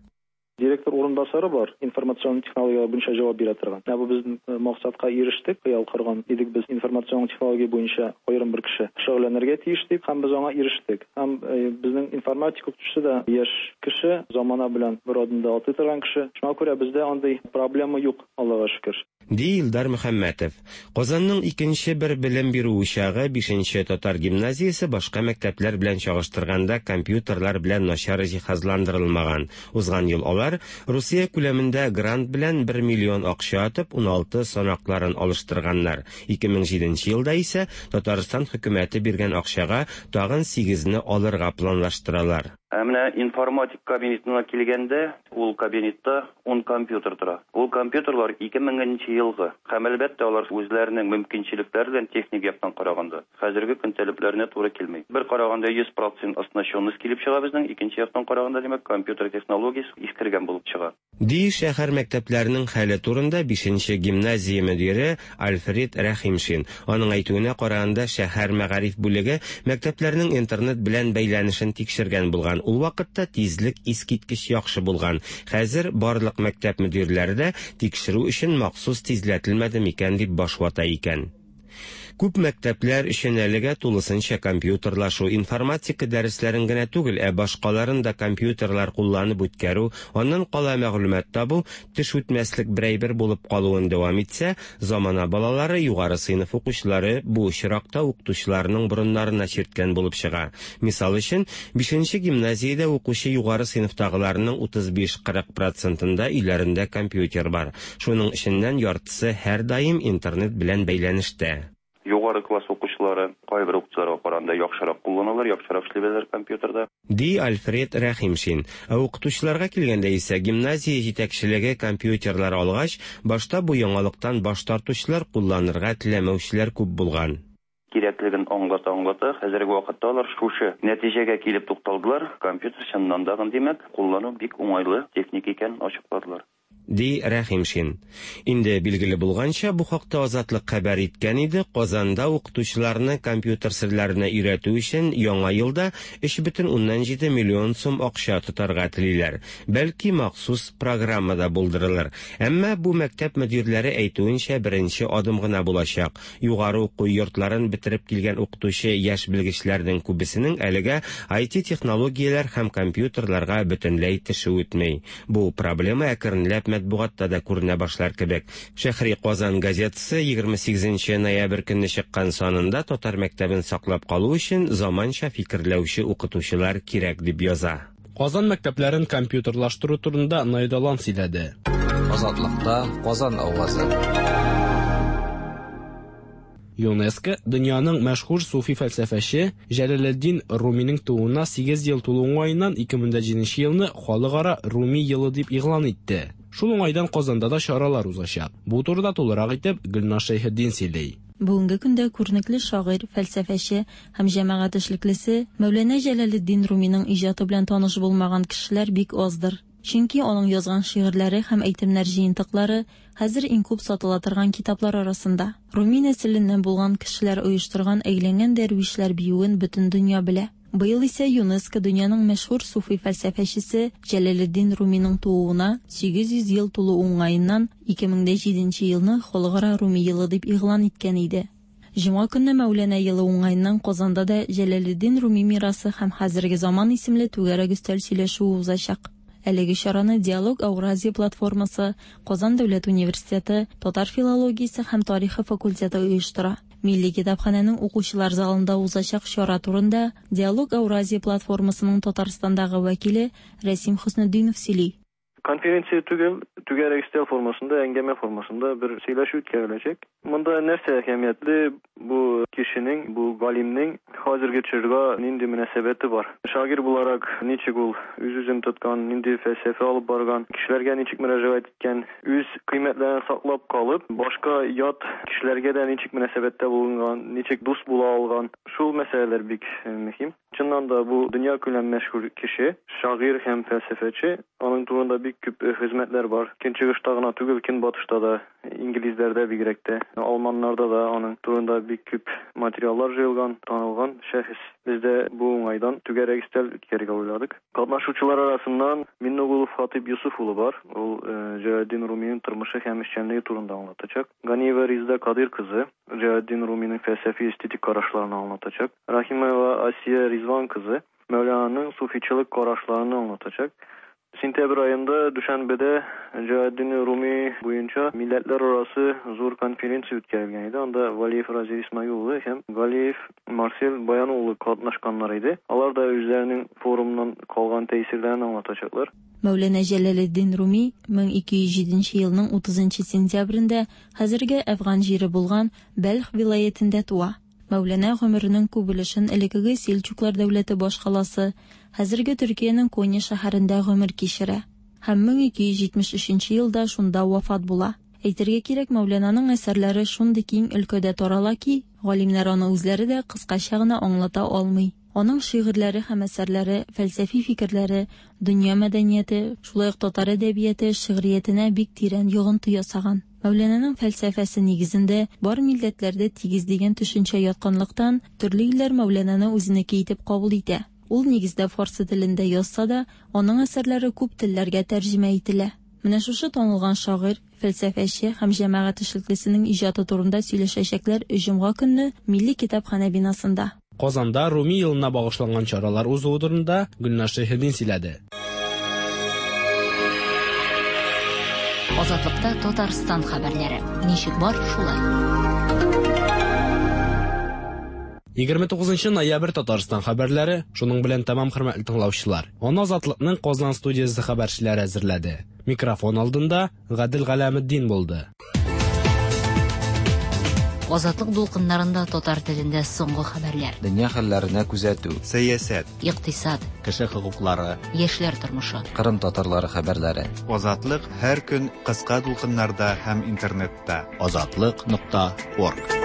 Директор урынбасары бар, информацион технологияләр буенча җавап бирә торган. Менә бу без максатка ирештек, хыял корган идек без информацион технология буенча аерым бер кеше шөгыльләнергә тиеш дип, һәм без аңа ирештек. Һәм безнең информатика укытучысы да яшь кеше, замана белән бер адымда атлый торган кеше. Шуңа күрә бездә андый проблема юк, Аллага шөкер. Ди Илдар Мөхәммәтов. Казанның икенче бер белем бирү учагы 5 татар гимназиясе башка мәктәпләр белән чагыштырганда компьютерлар белән начар җиһазландырылмаган. Узган ел алар Русия күләмендә грант белән 1 миллион акча атып 16 санакларын алыштырганнар. 2007 елда исә Татарстан хөкүмәте биргән акчага тагын 8-не алырга планлаштыралар. Ә менә информатик кабинетына килгәндә, ул кабинетта 10 компьютер тора. Ул компьютерлар 2000 нче елгы. Һәм, әлбәттә, алар үзләренең мөмкинчелекләре белән техник яктан караганда, хәзерге көн таләпләренә туры килми. Бер караганда 100 процент оснащенность килеп чыга безнең, икенче яктан караганда, димәк, компьютер технологиясе искергән булып чыга. Ди шәһәр мәктәпләренең хәле турында бишенче гимназия мөдире Альфред Рәхимшин. Аның әйтүенә караганда, шәһәр мәгариф бүлеге мәктәпләрнең интернет белән бәйләнешен тикшергән булган. Ул вакытта тизлек искиткеч яхшы булган. Хәзер барлык мәктәп мөдирләре дә тикшерү өчен махсус тизләтелмәде микән дип баш вата икән. Күп мәктәпләр өчен әлегә тулысынча компьютерлашу, информатика дәресләрен генә түгел, ә башкаларын да компьютерлар кулланып үткәрү, аннан кала мәгълүмат табу, теш үтмәслек бер әйбер булып калуын дәвам итсә, замана балалары, югары сыйныф укучылары бу очракта укытучыларының борыннарына чирткән булып чыга. Мисал өчен, бишенче гимназиядә укучы югары сыйныфтагыларның 35-40 процентында өйләрендә компьютер бар. Шуның эченнән яртысы һәрдаим интернет белән бәйләнештә. Югары класс укучылары кайбер укытучыларга караганда яхшырак кулланалар, яхшырак эшли беләләр компьютерда. Ди Альфред Рәхимшин. Ә укытучыларга килгәндә исә, гимназия җитәкчелеге компьютерлар алгач, башта бу яңалыктан баш тартучылар, кулланырга теләмәүчеләр күп булган. Кирәклеген аңлата-аңлата, хәзерге вакытта алар шушы нәтиҗәгә килеп тукталдылар, компьютер чыннан да, димәк, куллану бик уңайлы техника икәнен ачыкладылар. Ди Рәхимшин. Инде билгеле булганча, бу хакта Азатлык хәбәр иткән иде, Казанда укытучыларны компьютер серләренә өйрәтү өчен яңа елда 3,7 миллион сум акча тотарга телиләр. Бәлки махсус программа да булдырылыр. Әмма бу мәктәп мөдирләре әйтүенчә беренче адым гына булачак. Югары уку йортларын бетереп килгән укытучы яшь белгечләрнең күбесенең әлегә IT технологияләр һәм компьютерларга бөтенләй теше үтми. Бу проблема әкренләп матбугатта да күренә башлар кебек. Шәһри Казан газетасы 28 ноябрь көнне чыккан санында татар мәктәбен саклап калу өчен заманча фикерләүче укытучылар кирәк дип яза. Казан мәктәпләрен компьютерлаштыру турында Найдалан сөйләде. Азатлыкта Казан авазы. ЮНЕСКО дөньяның мәшһүр суфи фәлсәфәче Җәләлетдин Руминың тууына 8 ел тулу уңаеннан 2007 елны Халыкара Руми елы дип игълан итте. Шул уңайдан Казанда да чаралар узачак. Бу турыда тулырак итеп Гөлназ Шәйхетдин сөйли. Бүгенге көндә күренекле шагыйрь, фәлсәфәче һәм җәмәгать эшлеклесе Мәүләнә Җәләлетдин Руминың иҗаты белән таныш булмаган кешеләр бик аздыр. Чөнки аның язган шигырьләре һәм әйтемнәр җыентыклары хәзер иң күп сатыла торган китаплар арасында. Руми нәселеннән булган кешеләр оештырган әйләнгән дәрвишләр биюен бөтен дөнья белә. Быел исә ЮНЕСКО дөньяның мәшһүр суфи фәлсәфәчесе Җәләлетдин Руминың тууына 800 ел тулу уңаеннан 2007 елны Халыкара Руми елы дип игълан иткән иде. Җомга көнне Мәүләнә елы уңаеннан Казанда да Җәләлетдин Руми мирасы һәм хәзерге заман исемле түгәрәк өстәл сөйләшүе узачак. Әлеге чараны Диалог Ауразия платформасы, Казан дәүләт университеты, татар филологиясе һәм тарихы факультеты оештыра. Милли китапханәнең укучылар залында узачак чара турында Диалог Ауразия платформасының Татарстандагы вәкиле Рәсим Хөснетдинов сөйли. Конференция түгел, түгәрәк өстәл формасында, әңгәмә формасында бер сөйләшү үткәреләчәк. Монда нәрсә әһәмиятле, бу кешенең, бу галимнең хәзерге чорга нинди мөнәсәбәте бар. Шагыйрь буларак ничек ул үз-үзен тоткан, нинди фәлсәфә алып барган, кешеләргә ничек мөрәҗәгать иткән, үз кыйммәтләрен саклап калып, башка ят кешеләргә дә ничек мөнәсәбәттә булган, ничек дус була алган. Шул мәсьәләләр бик мөһим. Чыннан да бу дөнья күләм мәшһүр кеше, шагыйрь һәм фәлсәфәче. Аның турында бик күп хезмәтләр бар. Көнчыгышта гына түгел, көнбатышта да, инглизләрдә бигрәк тә, алманнарда да аның турында бик күп материаллар җыелган, танылган шәхес. Без дә бу уңайдан түгәрәк өстәл үткәрергә уйладык. Катнашучылар арасыннан Миннегулов Хатип Юсуф улы бар. Ул Җәләлетдин Руминың тормышы һәм эшчәнлеге турында аңлатачак. Ганиева Резеда Кадыйр кызы Җәләлетдин Руминың фәлсәфи эстетик карашларын аңлатачак. Рахимова Асия Ризван кызы Мәүлананың суфичылык карашларын аңлатачак. Сентябрь аенда Дүшәнбедә Җәләлетдин Руми буенча милләтләр арасы зур конференция үткәрелгән иде. Анда Валиев Разил Исмаил улы һәм Галиев Марсель Баян улы катнашканнар иде. Алар да үзләренең форумнан калган тәэсирләрен аңлатачаклар. Мәүләнә Җәләлетдин Руми 1207 елның 30 сентябрендә хәзерге Әфган җире булган Бәлх вилаятендә туа. Мәүләнә гомеренең күп өлешен элеккеге Сельчуклар дәүләте башкаласы, хәзерге Төркиянең Конья шәһәрендә гомер кичерә. Һәм 1273 елда шунда вафат була. Әйтергә кирәк, Мәүләнаның әсәрләре шундый киң өлкәдә тарала ки, галимнәр аны үзләре дә кыскача гына аңлата алмый. Аның шигырьләре һәм әсәрләре, фәлсәфи фикерләре, дөнья мәдәнияте, шулай ук татар әдәбияты, шигъриятенә бик тирән йогынты ясаган. Мәүләнаның фәлсәфәсе нигезендә бар милләтләр дә тигез дигән төшенчә ятканлыктан, төрле илләр Мәүләнаны үзенеке итеп кабул итә. Ул нигездә фарсы телендә язса да, аның әсәрләре күп телләргә тәрҗемә ителә. Менә шушы танылган шагыйрь, фәлсәфәче һәм җәмәгать эшлеклесенең иҗаты турында сөйләшәчәкләр җомга көнне Милли китапханә бинасында. Казанда Руми елына багышланган чаралар узуы турында Гөлназ Шәйхетдин сөйләде. Азатлыкта Татарстан хәбәрләре. Ничек бар, шулай. 29 ноябрь Татарстан хәбәрләре шуның белән тәмам, хөрмәтле тыңлаучылар. Аны Азатлыкның Казан студиясе хәбәрчеләре әзерләде. Микрофон алдында Гадел Галәметдин булды. Азатлык дулкыннарында татар телендә соңгы хәбәрләр. Дөнья хәлләренә күзәтү. Сәясәт. Икътисад. Кеше хокуклары. Яшьләр тормышы. Кырым татарлары хәбәрләре. Азатлык һәр көн кыска дулкыннарда һәм интернетта. Азатлык.орг.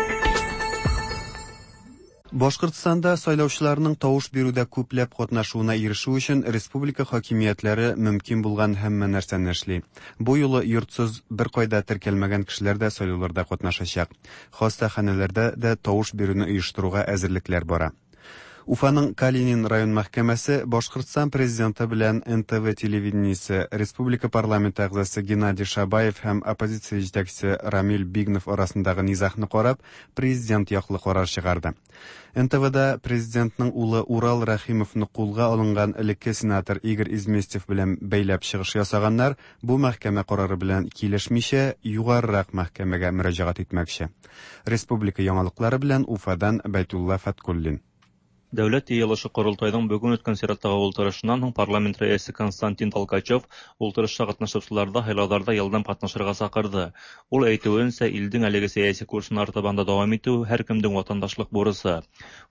Башкортстанда сайлаучыларның тавыш бирүдә күпләп катнашуына ирешү өчен республика хакимиятләре мөмкин булган һәммә нәрсәне эшли. Бу юлы йортсыз, беркайда теркәлмәгән кешеләр дә сайлауларда катнашачак. Хастаханәләрдә дә тавыш бирүне оештыруга әзерлекләр бара. Уфаның Калинин район мәхкәмәсе Башкортстан президенты белән НТВ телевидениесе, республика парламенты әгъзасы Геннадий Шабаев һәм оппозиция җитәкчесе Рамил Бигнов арасындагы низагны карап, президент яклы карар чыгарды. НТВда президентның улы Урал Рәхимовны кулга алынган элекке сенатор Игорь Изместьев белән бәйләп чыгыш ясаганнар бу мәхкәмә карары белән килешмичә, югарырак мәхкәмәгә мөрәҗәгать итмәкче. Республика яңалыклары белән Уфадан Бәйтулла Фәткуллин. Дәүләт йыелышы Корылтайның бүген үткән чираттагы ултырышыннан һуң парламент рәисе Константин Толкачев ултырышта катнашучыларда һайлауларда елдам катнашырга чакырды. Ул әйтүенчә, илдең әлеге сәяси курсын артабан да дәвам итү һәркемнең ватандашлык бурычы.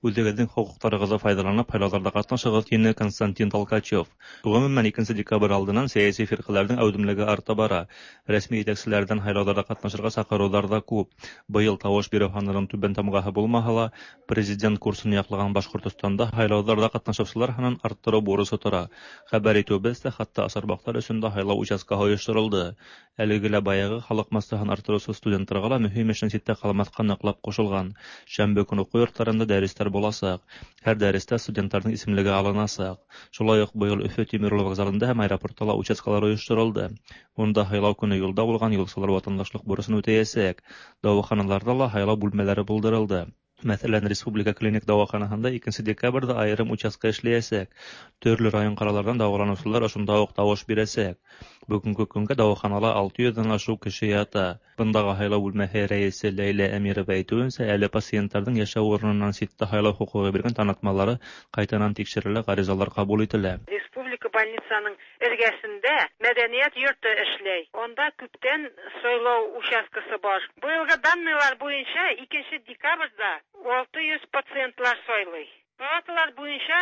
Үзегезнең хокукларыгызны файдаланып һайлауларда катнашыгыз, диде Константин Толкачев. Гомумән, 2 декабрь алдыннан сәяси фиркаләрнең әүдемлеге арта бара. Рәсми җитәкчеләрдән һайлауларда катнашырга чакырулар да күп. Быел тавыш бирү һанының түбән тамгаһы булмаһа ла, президент курсын яклаган Башкортостанда һайлауларда катнашучылар һанын арттыру бурычы тора. Хәбәр итүебезчә, хәтта Асарбаклар өчен дә һайлау участкаһы оештырылды. Әлеге лә баягы халык массаһын арттыручы студентларга ла мөһим эшнең читтә калмаска ныклап кушылган. Шәмбе көн уку йортларында дәресләр булачак. Һәр дәрестә студентларның исемлеге алыначак. Шулай ук быел Өфе тимер юлы вокзалында һәм аэропортта ла участкалар оештырылды. Монда һайлау көне юлда булган юлчылар ватандашлык бурычын үтәячәк. Дәваханаларда ла һайлау бүлмәләре булдырылды. Мәсәлән, Республика клиник дәваханаһында 2 декабрьдә аерым участка эшләячәк. Төрле район калалардан дәваланучылар ошонда ук тавыш бирәчәк. Бүгенге көнгә дәваханала 600 дән ашык кеше ята. Бындагы һайлау бүлмәһе рәисе Ләйлә Әмирова әйтүенчә, әле пациентларның яшәү урыныннан читтә һайлау хокукы биргән танытмалары кайтанан тикшерелә, гаризалар кабул ителә. Республика больницаның эргәсендә мәдәният йорты эшләй. Анда күптән сайлау участкасы бар. Быелгы данныйлар буенча 2 декабрьдә 600 пациентлар сайлый. Палаталар буенча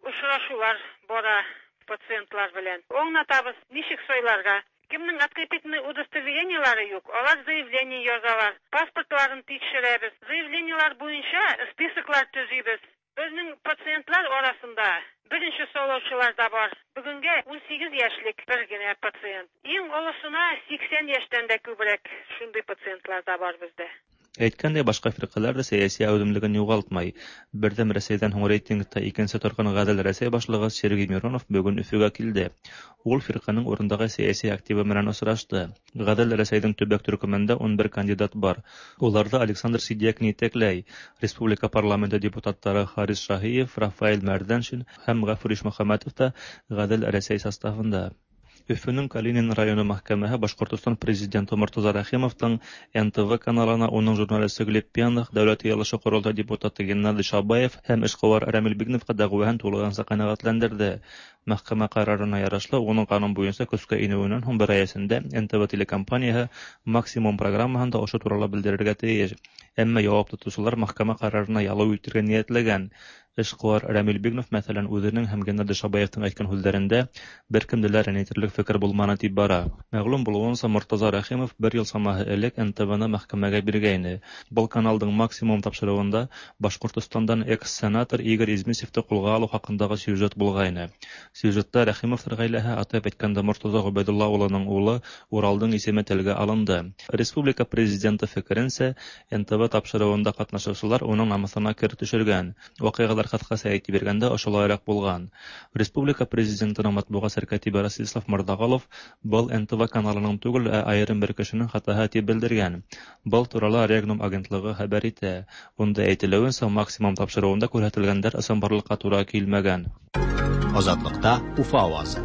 очрашулар бара пациентлар белән. Аңлатабыз, ничек сайларга. Кемнең открепительный удостоверениелары юк, алар заявление язалар, паспортларын тикшерәбез. Заявлениелар буенча списоклар төзибез. Безнең пациентлар арасында беренче сайлаучылар да бар. Бүгенгә 18 яшьлек бер генә пациент. Иң олысына 80 яшьтән дә күбрәк шундый пациентлар да бар бездә. Әйткәндәй, башка фиркаләр дә сәяси әүдемлеген югалтмай. Бердәм Рәсәйдән һуң рейтингта икенче торган Гадел Рәсәй башлыгы Сергей Миронов бүген Өфөгә килде. Ул фирканең урындагы сәяси активы белән очрашты. Гадел Рәсәйнең төбәк төркемендә 11 кандидат бар. Уларда Александр Сидякин итәкләй. Республика парламенты депутатлары Харис Шаһиев, Рафаэль Мәрдәншин һәм Гафур Ишмөхәммәтов та Гадел Рәсәй составында. Өфөнең Калинин районы мәхкәмәһе Башкортостан президенты Мортаза Рәхимовтың НТВ каналына уның журналисты Глеб Пьяных, Дәүләт Йыйылышы-Корылтай депутаты Геннадий Шабаев һәм эшкуар Рәмил Бигновка дәгъваһын тулыһынча канәгатьләндерде. Мәхкәмә карарына ярашлы, уның канун буенча көскә инүеннән һуң бер ай эчендә НТВ телекомпанияһы Максимум программаһында ошо турала белдерергә тиеш. Әмма явап тотучылар мәхкәмә карарына ялу итергә ниятләгән. Эшкуар Рәмил Бигнов, мәсәлән, үзенең һәм Геннадий Шабаевтың әйткән һүҙҙәрендә бер кемде лә рәнйетерлек фекер булманы дип бара. Мәгълүм булыуынса, Мортаза Рәхимов бер ел самаһы элек НТВны мәхкәмәгә биргәйне. Был каналдың Максимум тапшырыуында Башҡортостандан экс-сенатор Игорь Измисевты ҡулға алыу хаҡындағы сюжет булғайны. Сюжетта Рәхимовтар ғаиләһе, атап әйткәндә, Мортаза Ғөбәйҙулла улының улы Уралдың исеме телгә алынды. Республика президенты фекеренсә, НТВ тапшырыуында ҡатнашыусылар уның намыҫына кер төшөргән. Ваҡиғалар ҡыҫҡаса әйтеп биргәндә ошолайыраҡ булған. Республика президентының матбуғат сәркәтибе Ростислав Морҙағолов был НТВ каналының түгел, ә айырым бер кешенең хатаһы тип белдергән. Был турала Регнум агентлығы хәбәр итә. Унда әйтелеүенсә, Максимум тапшырыуында күрһәтелгәндәр ысынбарлыҡҡа тура килмәгән. Азатлыкта Уфа авазы.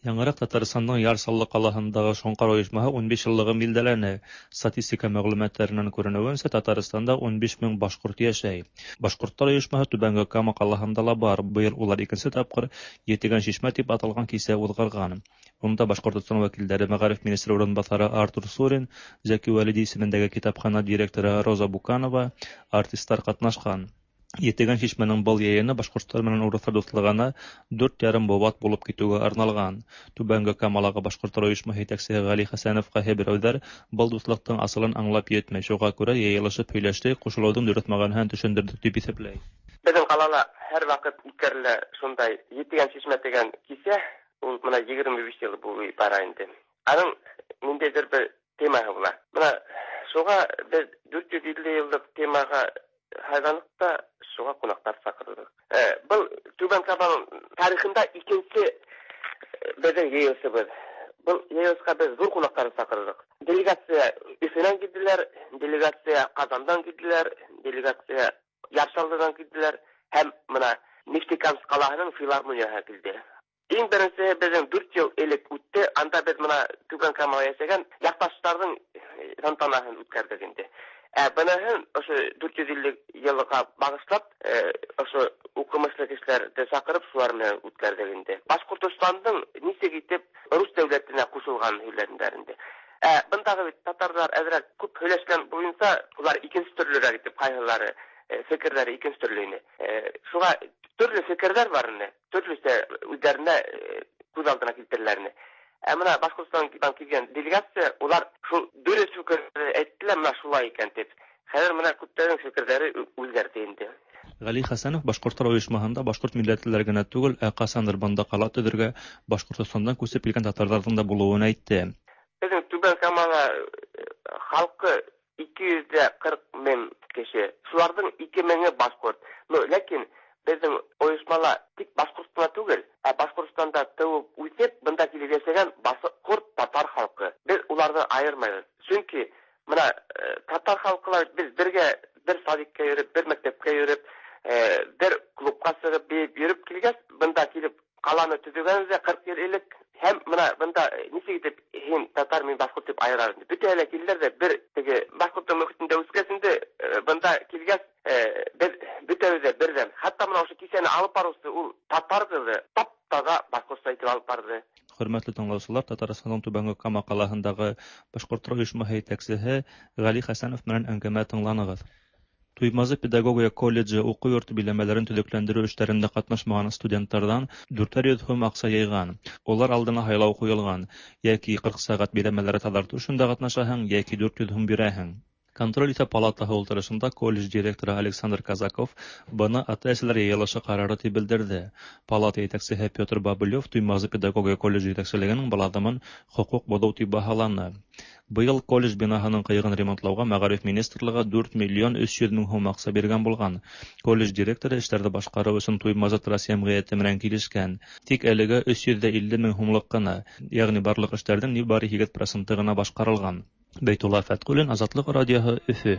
Яңыраҡ Татарстандың Яр Саллы ҡалаһындағы Шоңҡар ойошмаһы 15 йыллығын билдәләне. Статистика мәғлүмәттәренән күренеүенсә, Татарстанда 15 мең башҡорт йәшәй. Башҡорттар ойошмаһы Түбәнге Кама ҡалаһында ла бар. Быйыл улар икенсе тапҡыр Етегән шишмә тип аталған кисә уҙғарған. Унда Башҡортостан вәкилдәре мәғариф министры урынбаҫары Артур Сурин, Зәки Вәлиди исемендәге китапхана директоры Роза Буканова, артисттар ҡатнашҡан. Етегән шишмәнең был йыйыны башҡорттар менән урыҫтар дуҫлығына 4,5 быуат булып китеүгә арналған. Түбәнге Камалағы башҡорттар ойошмаһы етәксеһе Ғәли Хәсәнов ҡайһы берәүҙәр был дуҫлыҡтың асылын аңлап етмәй, шуға күрә йыйылышып һөйләштек, ҡушылыуҙың дөрөҫ мәғәнәһен төшөндөрҙөк тип иҫәпләй. Беҙҙең ҡалала һәр ваҡыт үткәрелә шундай Етегән шишмә тигән кисә, ул бына 25 йыл буйы бара инде. Аның ниндәйҙер бер темаһы була. Бына шуға беҙ 450 йыллыҡ темаға һайланыҡ та шуға ҡунаҡтар саҡырҙыҡ. Был Түбән Каманың тарихында икенсе беҙҙең йыйылышыбыҙ. Был йыйылышҡа беҙ ҙур ҡунаҡтарҙы саҡырҙыҡ. Делегация Өфөнән килделәр, делегация Ҡазандан килделәр, делегация Яр Саллыдан килделәр һәм бына Нефтекамск ҡалаһының филармонияһы килде. Иң беренсеһе беҙҙең 4 йыл элек үтте. Анда беҙ бына Түбән Камала йәшәгән яҡташтарҙың тантанаһын үткәрҙек инде. Быныһын ошо 450 йылға бағышлап, ошо уҡымышлы кешеләрҙе саҡырып, шулар менән үткәрҙек инде. Башҡортостандың нисек итеп рус дәүләтенә ҡушылғанын һөйләнделәр инде. Бындағы бит татарҙар әҙерәк күп һөйләшкән буйынса, улар икенсе төрлөрәк итеп, ҡайһылары фекерҙәре икенсе төрлө ине. Шуға төрлө фекерҙәр бар ине, төрлөсә үҙҙәренә күҙ алдына килтереләр ине. Бына Башҡортостандан килгән делегация, улар шул дөрөҫ фекерҙе әйттеләр, бына шулай икән тип. Хәҙер бына күптәрҙең фекерҙәре үҙгәрҙе инде. Ғәли Хәсәнов башҡорттар ойошмаһында башҡорт милләтлеләр генә түгел, ә ҡасандыр бында ҡала төҙөргә Башҡортостандан күсеп килгән татарҙарҙың да булыуын әйтте. Беҙҙең Түбән Камала халҡы 240 мең кеше. Шуларҙың 2 меңе башҡорт. Но ләкин беҙҙең ойошмала тик башҡорт ҡына түгел, ә Башҡортостанда тыуып үҫеп, бында килеп йәшәгән башҡорт татар халҡы. Беҙ уларҙы айырмайбыҙ. Сөнки бына татар халҡылар беҙ бергә бер садикка йөрөп, бер мәктәпкә йөрөп, бер клубҡа сығып бейеп йөрөп килгәс, бында килеп ҡаланы төҙөгәнбеҙ 40 йыл элек. Һәм бына бында нисек итеп һин татар, мин башҡорт тип айырар инде. Бөтәһе лә килделәр ҙә бер теге башҡорттың мөхитендә үҫкәс инде, бында килгәс, беҙ бөтәбеҙ ҙә берҙәм. Хатта бына ошо кисәне алып барыусы ул татар ҡыҙы тап-таҙа башҡортса итеп алып барҙы. Хөрмәтле тыңлаусылар, Татарстандың Түбәнге Кама ҡалаһындағы башҡорттар ойошмаһы етәксеһе Ғәли Хәсәнов менән әңгәмә тыңланығыҙ. Туймазы педагогия колледжы уҡыу йорто биләмәләрен төҙөкләндереү эштәрендә ҡатнашмаған студенттарҙан 400 һум аҡса йыйған. Улар алдына һайлау ҡуйылған: йәки 40 сәғәт биләмәләре таҙартыу эшендә ҡатнашаһың, йәки 400 һум бирәһең. Контроль иҫәп палатаһы ултырышында колледж директоры Александр Казаков быны ата-әсәләр йыйылышы ҡарары тип белдерҙе. Палата етәксеһе Петр Бабылев Туймазы педагогия колледжы етәкселегенең был аҙымын хоҡуҡ боҙоу тип баһаланы. Быйыл колледж бинаһының ҡыйығын ремонтлауға Мәғариф министрлығы 4 миллион 300 мең һум аҡса биргән булған. Колледж директоры эштәрҙе башҡарыу өсөн Туймазы Трасс йәмғиәте менән килешкән. Тик әлегә 350 мең һумлыҡ ҡына, йәғни барлыҡ эштәрҙең ни бары 8% ғына башҡарылған. Бәйтулла Фәтҡуллин, Азатлыҡ радиоһы, Өфө.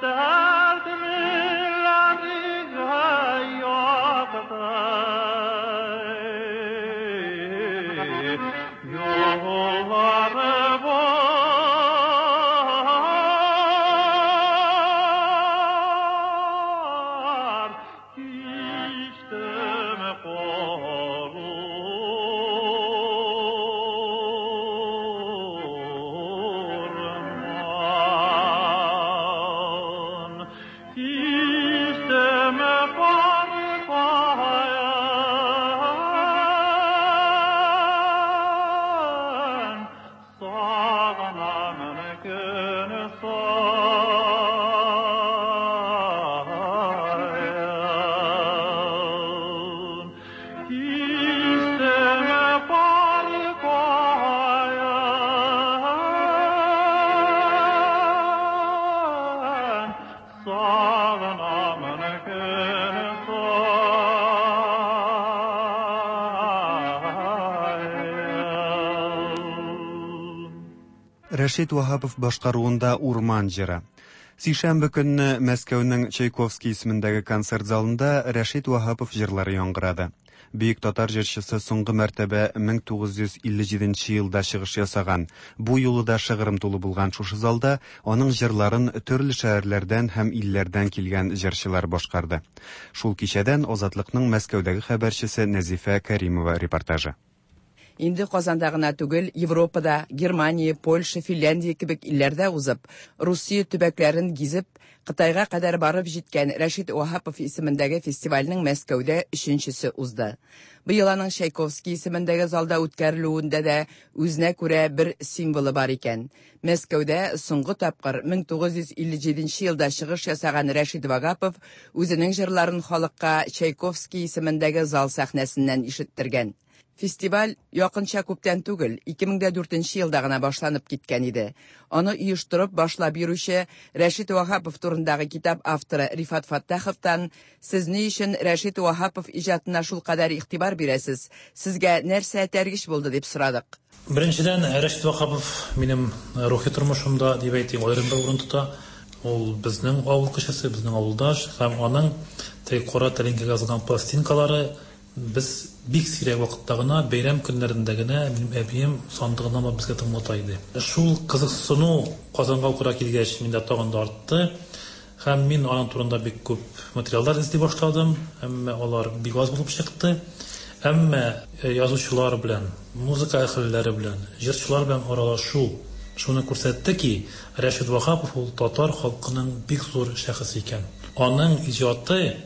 Dertlilerine yaktı. Yolları var, içtim korurman. İçtim korkayan, sağanan gün sayan. İsteme korkayan, sağanan gün sayan. Рәшит Ваһапов башкаруында Урман җыры. Сишәмбе көнне Мәскәүнең Чайковский исемендәге концерт залында Рәшит Ваһапов җырлары яңгырады. Бөек татар җырчысы соңгы мәртәбә 1957 елда чыгыш ясаган. Бу юлы да шыгрым тулы булган шушы залда аның җырларын төрле шәһәрләрдән һәм илләрдән килгән җырчылар башкарды. Шул кичәдән Азатлыкның Мәскәүдәге хәбәрчесе Нәзифә Кәримова репортажы. Инде Казанда гына түгел, Европада, Германия, Польша, Финляндия кебек илләрдә узып, Русия төбәкләрен гизеп, Кытайга кадәр барып җиткән Рәшит Ваһапов исемендәге фестивальнең Мәскәүдә өченчесе узды. Быел аның Чайковский исемендәге залда үткәрелүендә дә үзенә күрә бер символы бар икән. Мәскәүдә соңгы тапкыр 1957 елда чыгыш ясаган Рәшит Вагапов үзенең җырларын халыкка Чайковский исемендәге зал сәхнәсеннән ишеттергән. Фестиваль якынча күптән түгел, 2004 елда гына башланып киткән иде. Аны оештырып башлап йөрүче Рәшит Ваһапов турындагы китап авторы Рифат Фаттаховтан «Сез ни өчен Рәшит Ваһапов иҗатына шулкадәр игътибар бирәсез? Сезгә нәрсә этәргеч булды?» дип сорадык. Беренчедән, Рәшит Ваһапов минем рухи тормышымда, дип әйтик, аерым бер урын тота. Ул безнең авыл кешесе, безнең авылдаш һәм аның теге кара тәлинкәгә язылган пластинкалары без бик сирәк вакытта гына, бәйрәм көннәрендә генә минем әбием сандыгыннан алып безгә тыңлата иде. Шул кызыксыну Казанга укырга килгәч миндә тагын да артты. Һәм мин аның турында бик күп материаллар эзли башладым, әмма алар бик аз булып чыкты. Әмма язучылар белән, музыка әһелләре белән, җырчылар белән аралашу шуны күрсәтте ки, Рәшит Ваһапов ул татар халкының бик зур шәхесе икән. Аның иҗаты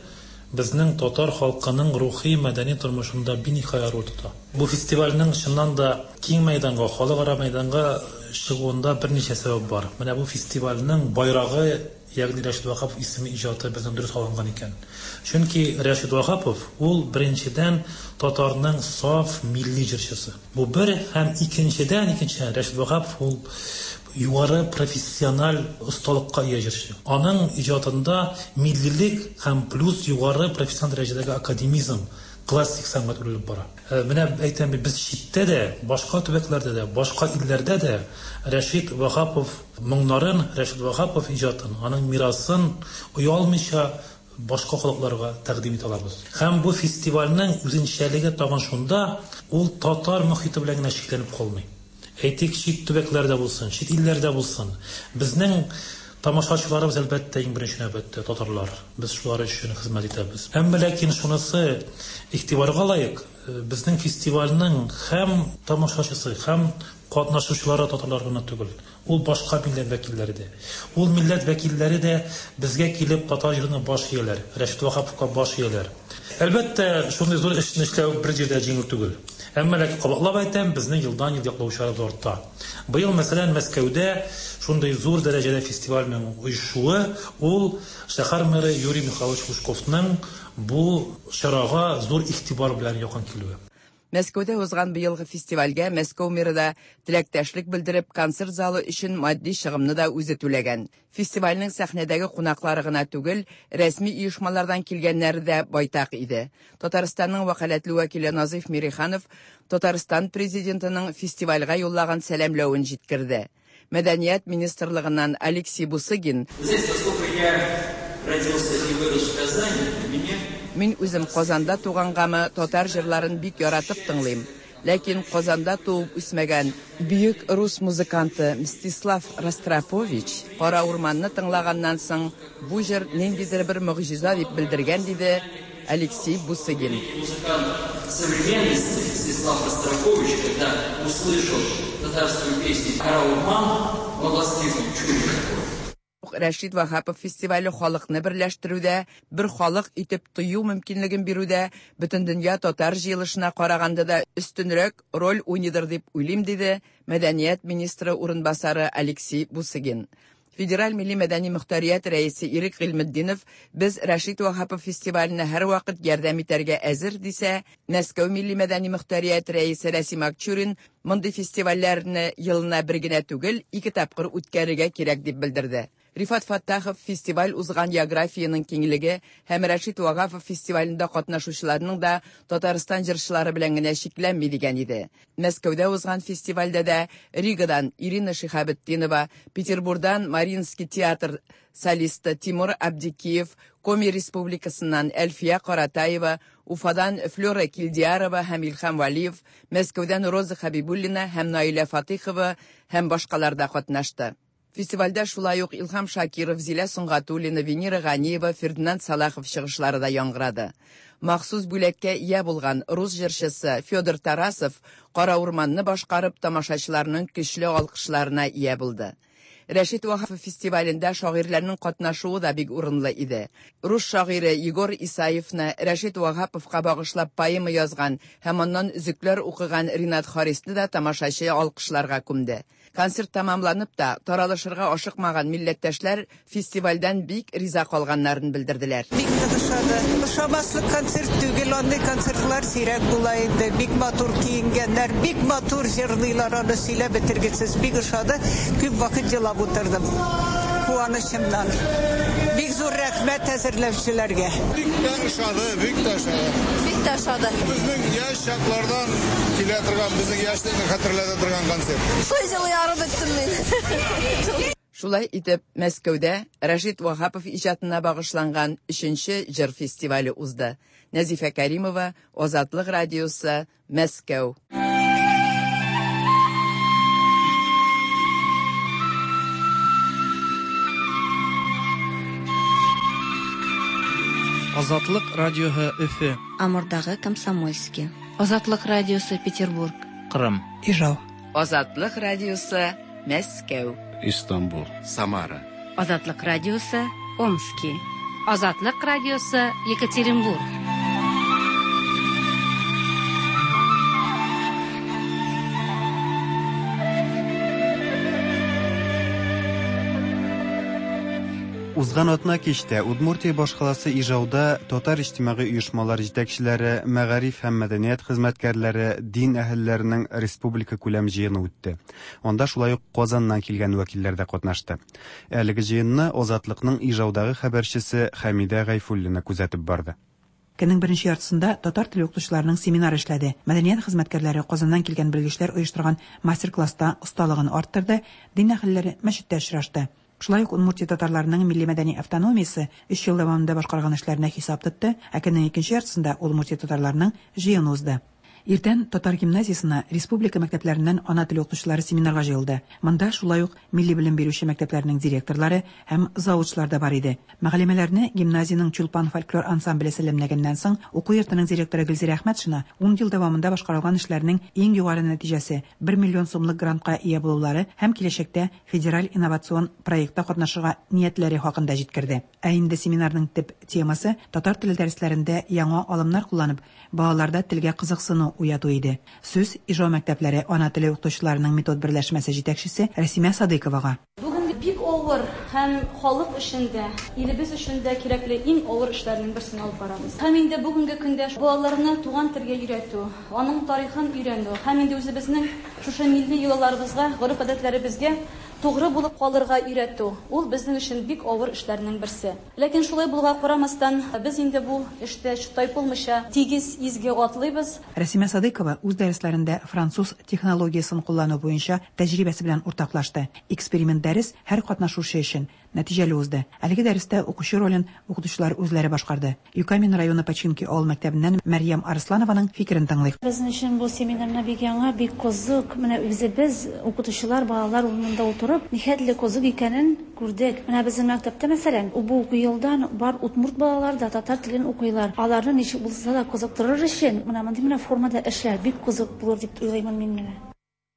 безнең татар халкының рухи мәдәни тормышында биниһая роль тота. Бу фестивальнең чыннан да киң мәйданга, халыкара мәйданга чыгуында берничә сәбәп бар. Менә бу фестивальнең байрагы, ягъни Рәшит Ваһапов исеме иҗаты безнең дөрес алынган икән. Чөнки Рәшит Ваһапов ул беренчедән татарның саф милли җырчысы. Бу бер һәм икенчедән, икенчедән Рәшит Ваһапов ул югары профессиональ осталыкка ия җырчы. Аның иҗатында миллилек һәм плюс югары профессиональ дәрәҗәдәге академизм, классик сәнгать үрелеп бара. Менә әйтәм бит, без читтә дә, башка төбәкләрдә дә, башка илләрдә дә Рәшит Ваһапов моңнарын, Рәшит Ваһапов иҗатын, аның мирасын оялмыйча башка халыкларга тәкъдим итә алабыз. Һәм бу фестивальнең үзенчәлеге тагын шунда, ул татар мохите белән генә чикләнеп калмый. Әйтик, чит төбәкләрдә булсын, чит илләрдә булсын. Безнең тамашачыларыбыз, әлбәттә, иң беренче нәүбәттә татарлар. Без шулар өчен хезмәт итәбез. Әмма ләкин шунысы игътибарга лаек, безнең фестивальнең һәм тамашачысы, һәм катнашучылары татарлар гына түгел. Ул башка милләт вәкилләре дә. Ул милләт вәкилләре дә безгә килеп татар җырына баш ияләр, Рәшит Ваһаповка баш ияләр. Әлбәттә, шундый зур эшне эшләү бер җирдә җиңел түгел. Әмма ләкин кабатлап әйтәм, безнең елдан-ел яклаучыларыбыз арта. Быел, мәсәлән, Мәскәүдә шундый зур дәрәҗәдә фестивальнең оешуы, ул шәһәр мэры Юрий Михайлович Лужковның бу чарага зур игътибар белән якын килүе. Мәскәүдә узган быелгы фестивальгә Мәскәү мэры да теләктәшлек белдереп, концерт залы өчен матди чыгымны да үзе түләгән. Фестивальнең сәхнәдәге кунаклары гына түгел, рәсми оешмалардан килгәннәре дә байтак иде. Татарстанның вәкаләтле вәкиле Назыйф Мириханов Татарстан президентының фестивальгә юллаган сәламләвен җиткерде. Мәдәният министрлыгыннан Алексей Бусыгин Мин үзем Казанда тугангамы, татар җырларын бик яратып тыңлыйм. Ләкин Казанда туып үсмәгән бөек рус музыканты Мстислав Ростропович Кара урманны тыңлаганнан соң, бу җыр ниндидер бер могҗиза дип белдергән, диде Алексей Бусыгин. Музыкант современности Мстислав Ростропович, когда услышал татарскую песню «Кара урман», он воскликнул: «Чудо какое!» Рәшит Ваһапов фестивале халыкны берләштерүдә, бер халык итеп тою мөмкинлеген бирүдә Бөтендөнья татар җыелышына караганда да өстенрәк роль уйныйдыр дип уйлыйм, диде мәдәният министры урынбасары Алексей Бусыгин. Федераль милли-мәдәни мохтарият рәисе Ирек Гыйльметдинов без Рәшит Ваһапов фестиваленә һәрвакыт ярдәм итәргә әзер, дисә, Мәскәү милли-мәдәни мохтарият рәисе Рәсим Акчурин мондый фестивальләрне елына бер генә түгел, ике тапкыр үткәрергә кирәк дип белдерде. Рифат Фәттахов фестиваль узган географиянең киңлеге һәм Рәшит Ваһапов фестивалендә катнашучыларның да Татарстан җырчылары белән генә чикләнми дигән иде. Мәскәүдә узган фестивальдә дә Ригадан Ирина Шиһабетдинова, Петербурдан Мариинский театр солисты Тимур Абдикиев, Коми Республикасыннан Әлфия Каратаева, Уфадан Флера Килдиярова һәм Илһам Вәлиев, Мәскәүдән Роза Хәбибуллина һәм Наилә Фатыйхова һәм башкалар да катнашты. Фестивальдә шулай ук Илһам Шакиров, Зилә Сөнгатуллина, Венера Ганиева, Фердинанд Салахов чыгышлары да яңгырады. Махсус бүләккә ия булган рус җырчысы Федор Тарасов Кара урманны башкарып, тамашачыларның көчле алкышларына ия булды. Рәшит Ваһапов фестивалендә шагыйрьләрнең катнашуы да бик урынлы иде. Рус шагыйре Егор Исаевны Рәшит Ваһаповка багышлап поэма язган һәм аннан өзекләр укыган Ринат Харисны да тамашачы алкышларга күмде. Концерт тәмамланып та, таралышырга ашыкмаган милләттәшләр фестивальдән бик риза калганнарын белдерделәр. Бик нык ошады. Ошамаслык концерт түгел, андый концертлар сирәк була инде. Бик матур киенгәннәр, бик матур җырлыйлар, аны сөйләп бетергесез. Бик ошады. Күп вакыт елап утырдым. Куанычымнан. Бик зур рәхмәт әзерләүчеләргә. Бик тә ошады, бик тә ошады. Бик тә ошады. Безнең яшь чаклардан килә торган, безнең яшьлекне хәтерләтә торган концерт. Шулай җылый арып беттем мин. Шулай итеп, Мәскәүдә Рәшит Ваһапов иҗатына багышланган өченче җыр фестивале узды. Нәзифә Кәримова, Азатлык радиосы, Мәскәү. Азатлык радиоһы Өфе. Амурдагы Комсомольский. Азатлык радиосы Петербург. Кырым. Ижау. Азатлык радиосы Мәскәү. Истанбул. Самара. Азатлык радиосы Омски. Азатлык радиосы Екатеринбург. Узган атна кичтә Удмуртия башкаласы Ижауда татар иҗтимагый оешмалар җитәкчеләре, мәгариф һәм мәдәният хезмәткәрләре, дин әһелләренең республика күләм җыены үтте. Анда шулай ук Казаннан килгән вәкилләр дә катнашты. Әлеге җыенны Азатлыкның Ижаудагы хәбәрчесе Хәмидә Гайфуллина күзәтеп барды. Көннең беренче яртысында татар теле укытучыларының семинары эшләде. Мәдәният хезмәткәрләре Казаннан килгән белгечләр оештырган мастер-класста осталыгын арттырды, дин әһелләре мәчеттә очрашты. Шулай ук Удмуртия татарларының милли-мәдәни автономиясе өч ел дәвамында башкарган эшләренә хисап тотты, ә көннең икенче яртысында Удмуртия татарларының җыены узды. Иртән татар гимназиясенә республика мәктәпләреннән ана теле укытучылары семинарга җыелды. Монда шулай ук милли белем бирүче мәктәпләрнең директорлары һәм завучлар да бар иде. Мөгаллимәләрне гимназиянең Чулпан фольклор ансамбле сәламләгәннән соң, уку йортының директоры Гөлзирә Әхмәтшина ун ел дәвамында башкарылган эшләрнең иң югары нәтиҗәсе, 1 миллион сумлык грантка ия булулары һәм киләчәктә федераль инновацион проектта катнашырга ниятләре хакында җиткерде. Ә инде семинарның төп темасы татар теле дәресләрендә яңа алымнар кулланып, балаларда телгә кызыксыну уяту иде. Сүз Ижау мәктәпләре ана теле укытучыларының метод берләшмәсе җитәкчесе Рәсимә Садыйковага. Бүген бик авыр һәм халык өчен дә, илебез өчен дә кирәкле иң авыр эшләрнең берсен алып барабыз. Һәм инде бүгенге көндә балаларны туган телгә өйрәтү, аның тарихын өйрәнү һәм инде үзебезнең шушы милли йолаларыбызга, гореф-гадәтләребезгә Тугры булып калырга өйрәтү, ул безнең өчен бик авыр эшләрнең берсе. Ләкин шулай булуга карамастан, без инде бу эштә тайпылмыйча тигез, изге атлыйбыз. Рәсимә Садыйкова үз дәресләрендә француз технологиясен куллану буенча тәҗрибәсе белән уртаклашты. Эксперимент дәрес һәр катнашучы өчен нәтиҗәле узды. Әлеге дәрестә укучы ролен укытучылар үзләре башкарды. Юкамин районы Починки авыл мәктәбеннән Мәрьям Арсланованың фикерен тыңлыйк. Безнең өчен бу семинарны бик яңа, бик кызык. Менә үзебез, укытучылар, балалар урынында утырып, нихәтле кызык икәнен күрдек. Менә безнең мәктәптә, мәсәлән, бу уку елдан бар удмурт балалары да татар телен укыйлар. Аларны ничек булса да кызыктырыр өчен, менә мондый менә формада эшләр бик кызык булыр дип уйлыймын мин менә.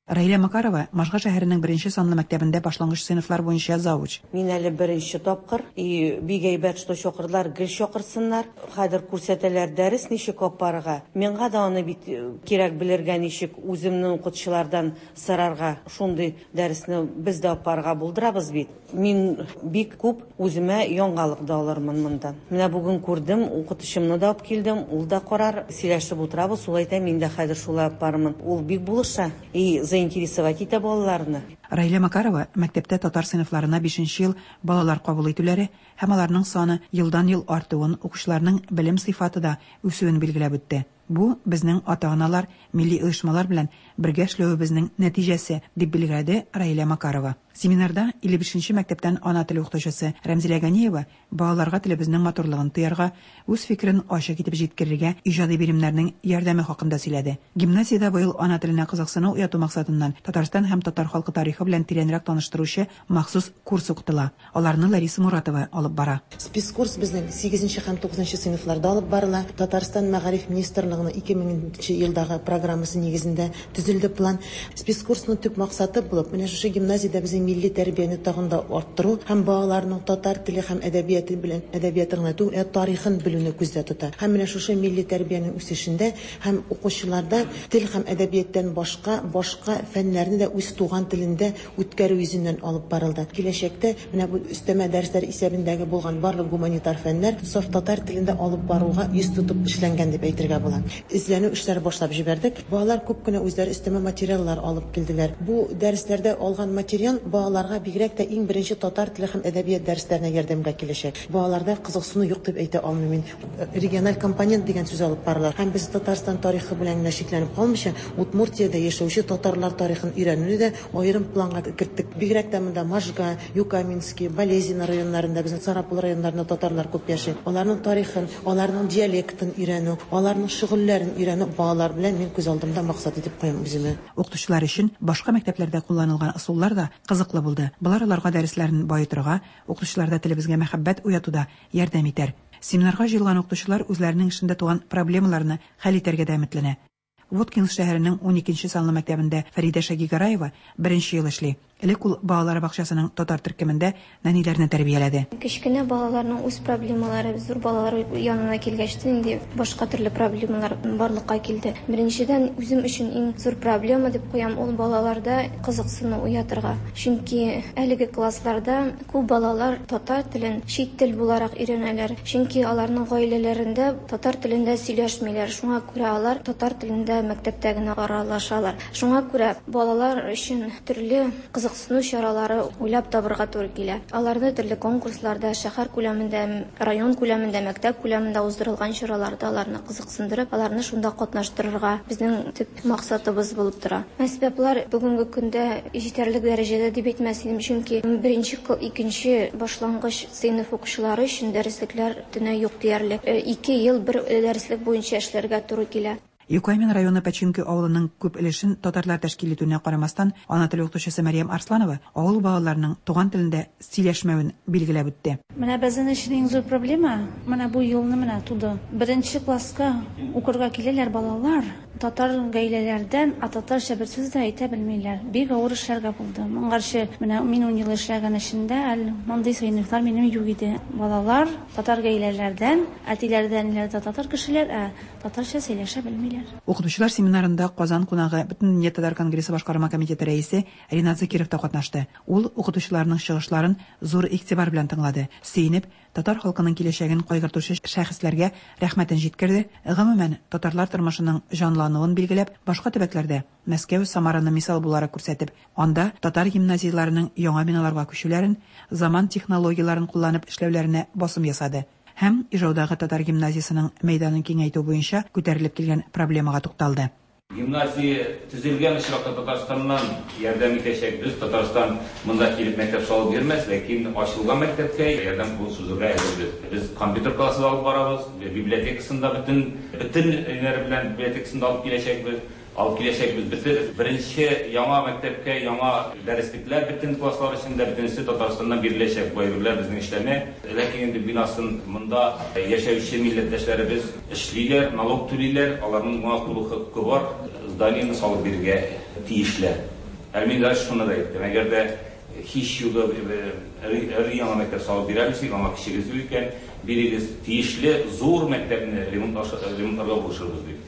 Раилә Макарова, Можга шәһәренең беренче санлы мәктәбендә башлангыч сыйныфлар буенча завуч. Мин әле беренче тапкыр. И бик әйбәт, что чакырдылар, гел чакырсыннар. Хәзер күрсәтәләр дәрес ничек алып барырга. Миңа да аны бит кирәк белергә, ничек үземнең укытучылардан сорарга. Шундый дәресне без дә алып барырга булдырабыз бит. Мин бик күп үземә яңалык да алырмын мондан. Менә бүген күрдем, укытучымны да алып килдем, ул да карар, сөйләшеп утырабыз, ул әйтә, мин дә хәзер шулай алып барырмын. Ул бик булыша и заинтересовать итә балаларны. Раилә Макарова мәктәптә татар сыйныфларына бишенче ел балалар кабул итүләре һәм аларның саны елдан-ел артуын, укучыларның белем сыйфаты да үсүен билгеләп үтте. Бу, безнең ата-аналар, милли оешмалар белән бергә эшләвебезнең нәтиҗәсе, дип билгеләде Раилә Макарова. Семинарда 55 нче мәктәптән ана теле укытучысы Рәмзилә Ганиева балаларга телебезнең матурлыгын тоярга, үз фикерен ачык итеп җиткерергә иҗади биремнәрнең ярдәме хакында сөйләде. Гимназиядә быел ана теленә кызыксыну уяту максатыннан Татарстан һәм татар халкы тарихы белән тирәнрәк таныштыручы махсус курс укытыла. Аларны Лариса Муратова алып бара. Спецкурс безнең сигезенче һәм тугызынчы сыйныфларда алып барыла. Татарстан Мәгариф министрлыгының 2000 нче елдагы программасы нигезендә төзелде план. Спецкурсның төп максаты булып, менә шушы гимназиядә безнең милли тәрбияне тагын да арттыру һәм балаларның татар теле һәм әдәбияты белән, әдәбияты гына түгел, ә тарихын белүне күздә тота. Һәм менә шушы милли тәрбиянең үсешендә һәм укучыларда тел һәм әдәбияттан башка, башка фәннәрне дә үз туган телендә үткәрү йөзеннән алып барылды. Киләчәктә менә бу өстәмә дәресләр исәбендәге булган барлык гуманитар фәннәр саф татар телендә алып баруга йөз тотып эшләнгән дип әйтергә була. Эзләнү эшләре башлап җибәрдек. Балалар күп кенә үзләре өстәмә материаллар алып килделәр. Бу дәресләрдә алган материал балаларга бигрәк тә иң беренче татар теле һәм әдәбият дәресләренә ярдәмгә киләчәк. Балаларда кызыксыну юк дип әйтә алмыйм мин. Региональ компонент дигән сүз алып барыла. Һәм без Татарстан тарихы белән генә чикләнеп калмыйча, Удмуртиядә яшәүче татарлар тарихын өйрәнүне дә аерым планга керттек. Бигрәк тә монда Можга, Юкаменский, Балезино районнарында, безнең Сарапул районнарында татарлар күп яши. Аларның тарихын, аларның диалектын өйрәнү, аларның шөгыльләрен өйрәнү балалар белән мин күз алдымда максат итеп куям үземә. Укытучылар өчен башка мәктәпләрдә кулланылган ысуллар да кызыклы булды. Болар аларга дәресләрен баетырга, укытучыларда телебезгә мәхәббәт уятуда ярдәм итәр. Семинарга җыелган укытучылар үзләренең эшендә туган проблемаларны хәл итәргә дә өметләнә. Воткинск шәһәренең уникенче санлы мәктәбендә Фәридә Шагигараева беренче ел эшли. Элек ул балалар бакчасының татар төркемендә нәниләрне тәрбияләде. Кечкенә балаларның үз проблемалары, зур балалар янына килгәч тә инде башка төрле проблемалар барлыкка килде. Беренчедән, үзем өчен иң зур проблема дип куям, ул балаларда кызыксыну уятырга. Чөнки әлеге классларда күп балалар татар телен чит тел буларак өйрәнәләр. Чөнки аларның гаиләләрендә татар телендә сөйләшмиләр. Шуңа күрә алар татар телендә мәктәптә генә аралашалар. Шуңа күрә балалар өчен төрле кызыксыну чаралары уйлап табырга туры килә. Аларны төрле конкурсларда, шәһәр күләмендә, район күләмендә, мәктәп күләмендә уздырылган чараларда аларны кызыксындырып, аларны шунда катнаштырырга безнең төп максатыбыз булып тора. Әсбаплар бүгенге көндә җитәрлек дәрәҗәдә дип әйтмәс идем, чөнки беренче, икенче башлангыч сыйныф укучылары өчен дәреслекләр төнә юк диярлек. Ике ел бер дәреслек буенча эшләргә туры килә. Юкаймин районы Починки авылының күп өлешен татарлар тәшкил итүенә карамастан, ана теле укытучысы Мәрьям Арсланова авыл балаларының туган телендә сөйләшмәвен билгеләп үтте. Менә безнең өчен иң зур проблема, менә бу елны менә туды. Беренче класска укырга киләләр балалар, татар гаиләләрдән, ә татарча бер сүз дә әйтә белмиләр. Бик авыр эшләргә булды. Моңарчы менә мин ун ел эшләгән эшендә әле мондый сыйныфлар минем юк иде. Балалар татар гаиләләрдән, әтиләре дә, әниләре дә татар кешеләр, ә татарча сөйләшә белмиләр. Укытучылар семинарында Казан кунагы, Бөтендөнья татар конгрессы башкарма комитеты рәисе Ринат Закиров та катнашты. Ул укытучыларның чыгышларын зур игътибар белән тыңлады, сөенеп, татар халкының киләчәген кайгыртучы шәхесләргә рәхмәтен җиткерде, гомумән, татарлар тормышының җанлануы, тәмамлануын билгеләп, башка төбәкләрдә, Мәскәү, Самараны мисал буларак күрсәтеп, анда татар гимназияләренең яңа биналарга күчүләрен, заман технологияләрен кулланып эшләүләренә басым ясады һәм Ижаудагы татар гимназиясенең мәйданын киңәйтү буенча күтәрелеп килгән проблемага тукталды. Гимназия төзелгән очракта Татарстаннан ярдәм итәчәкбез. Татарстан монда килеп мәктәп салып бирмәс, ләкин ачылган мәктәпкә ярдәм кулы сузырга әзербез. Без компьютер классы да алып барабыз, библиотекасын да бөтен бөтен ниләре белән библиотекасын да алып киләчәкбез. Алып киләчәкбез. Бөтен беренче яңа мәктәпкә яңа дәреслекләр бөтен класслар өчен дә бөтенесе Татарстаннан биреләчәк. Бу әйберләр безнең эшләнә. Ләкин инде бинасын монда яшәүче милләттәшләребез эшлиләр, налог түлиләр, аларның моңа тулы хокукы бар, зданиене салып бирергә тиешләр. Әле мин даже шуны да әйттем, әгәр дә һич югы өр-яңа мәктәп салып бирәбез икән, аңа көчегез юк икән, бирегез, тиешле зур мәктәпне ремонтларга булышырбыз дип.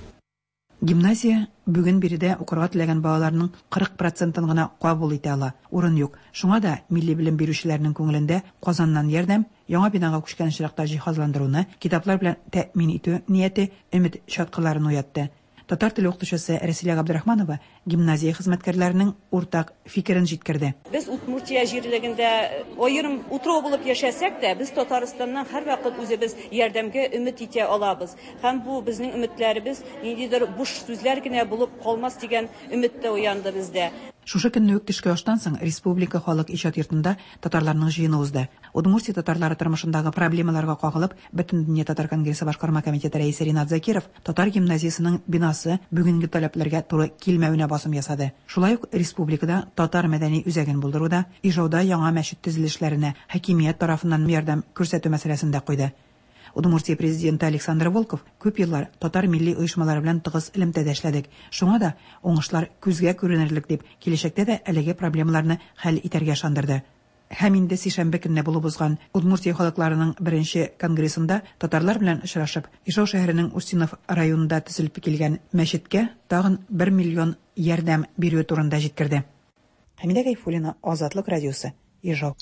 Гимназия бүген биредә укырга теләгән балаларның 40 процентын гына кабул итә ала, урын юк. Шуңа да милли белем бирүчеләрнең күңелендә Казаннан ярдәм, яңа бинага күчкән очракта җиһазландыруны, китаплар белән тәэмин итү нияте өмет чаткыларын уятты. Татар теле укытучысы Рәсилә Габдрахманова гимназия хезмәткәрләренең уртак фикерен җиткерде. Без Удмуртия җирлегендә аерым утрау булып яшәсәк тә, без Татарстаннан һәрвакыт үзебез ярдәмгә өмет итә алабыз. Һәм бу безнең өметләребез ниндидер буш сүзләр генә булып калмас дигән өмет тә уянды бездә. Шушы көнне үк төшке аштан соң Республика халык иҗат йортында татарларның җыены узды. Удмуртия татарлары тормышындагы проблемаларга кагылып, Бөтендөнья татар конгрессы башкарма комитеты рәисе Ринат Закиров татар гимназиясенең бинасы бүгенге таләпләргә туры килмәвенә басым ясады. Шулай ук республикада татар мәдәни үзәген булдыруда, Ижауда яңа мәчет төзелешләренә хакимият тарафыннан ярдәм күрсәтү мәсьәләсен дә куйды. Удмуртия президенты Александр Волков, Күп еллар татар милли оешмалары белән тыгыз элемтәдә эшләдек. Шуңа да уңышлар күзгә күренерлек, дип, киләчәктә дә әлеге проблемаларны хәл итәргә ышандырды. Һәм инде сишәмбе көнне булып узган Удмуртия халыкларының беренче конгрессында татарлар белән очрашып, Ижау шәһәренең Устинов районында төзелеп килгән мәчеткә тагын бер миллион ярдәм бирүе турында җиткерде. Хәмидә Гайфуллина, Азатлык радиосы, Ижау.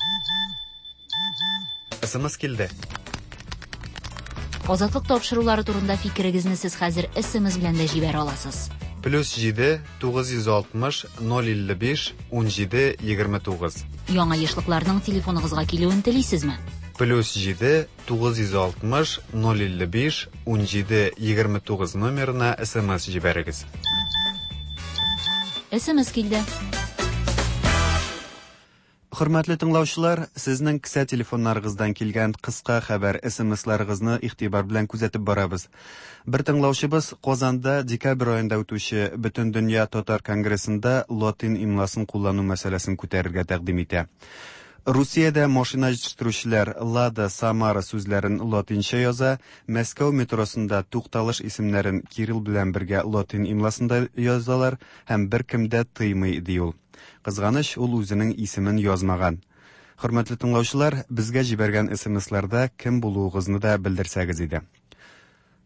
СМС килде. Азатлык тапшырулары турында фикерегезне сез хәзер СМС белән дә җибәрә аласыз. Плюс 7 960 055 17 29. Яңа ешлыкларның телефоныгызга килүен телисезме? Плюс 7 960 055 17 29 номерына СМС җибәрегез. СМС килде. Хөрмәтле тыңлаучылар, сезнең кесә телефоннарыгыздан килгән кыска хәбәр СМСларыгызны игътибар белән күзәтеп барабыз. Бер тыңлаучыбыз Казанда декабрь аенда үтүче Бөтендөнья татар конгрессында латин имласын куллану мәсьәләсен күтәрергә тәкъдим итә. Русиядә машина җитештерүчеләр Лада, Самара сүзләрен латинча яза, Мәскәү метросында тукталыш исемнәрен кирилл белән бергә латин имласында язалар һәм беркем дә тыймый, ди ул. Кызганыч, ул үзенең исемен язмаган. Хөрмәтле тыңлаучылар, безгә җибәргән СМСларда кем булуыгызны да белдерсәгез иде.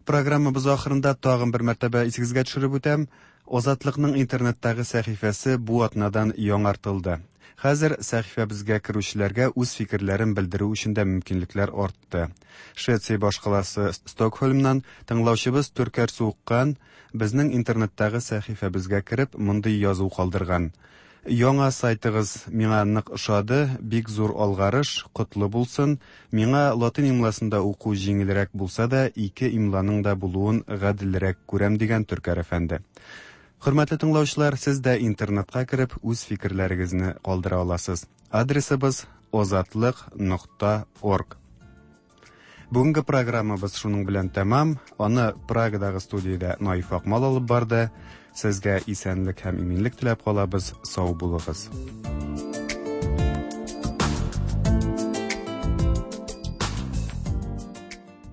Программабыз ахырында тагын бер мәртәбә исегезгә төшереп үтәм, Азатлыкның интернеттагы сәхифәсе бу атнадан яңартылды. Хәзер сәхифәбезгә керүчеләргә үз фикерләрен белдерү өчен дә мөмкинлекләр артты. Швеция башкаласы Стокһольмнан тыңлаучыбыз Төркәр Суыккан безнең интернеттагы сәхифәбезгә кереп мондый язу калдырган. Яңа сайтыгыз миңа нык ошады, бик зур алгарыш, котлы булсын. Миңа латин имласында уку җиңелрәк булса да, ике имланың да булуын гаделрәк күрәм, дигән Төркәр әфәнде. Хөрмәтле тыңлаучылар, сез дә интернетка кереп, үз фикерләрегезне калдыра аласыз. Адресыбыз озатлык нокта орг. Бүгенге программабыз шуның белән тәмам. Аны Прагадагы студиядә Наиф Акмал алып барды. Сезгә исәнлек һәм иминлек теләп калабыз. Сау булыгыз.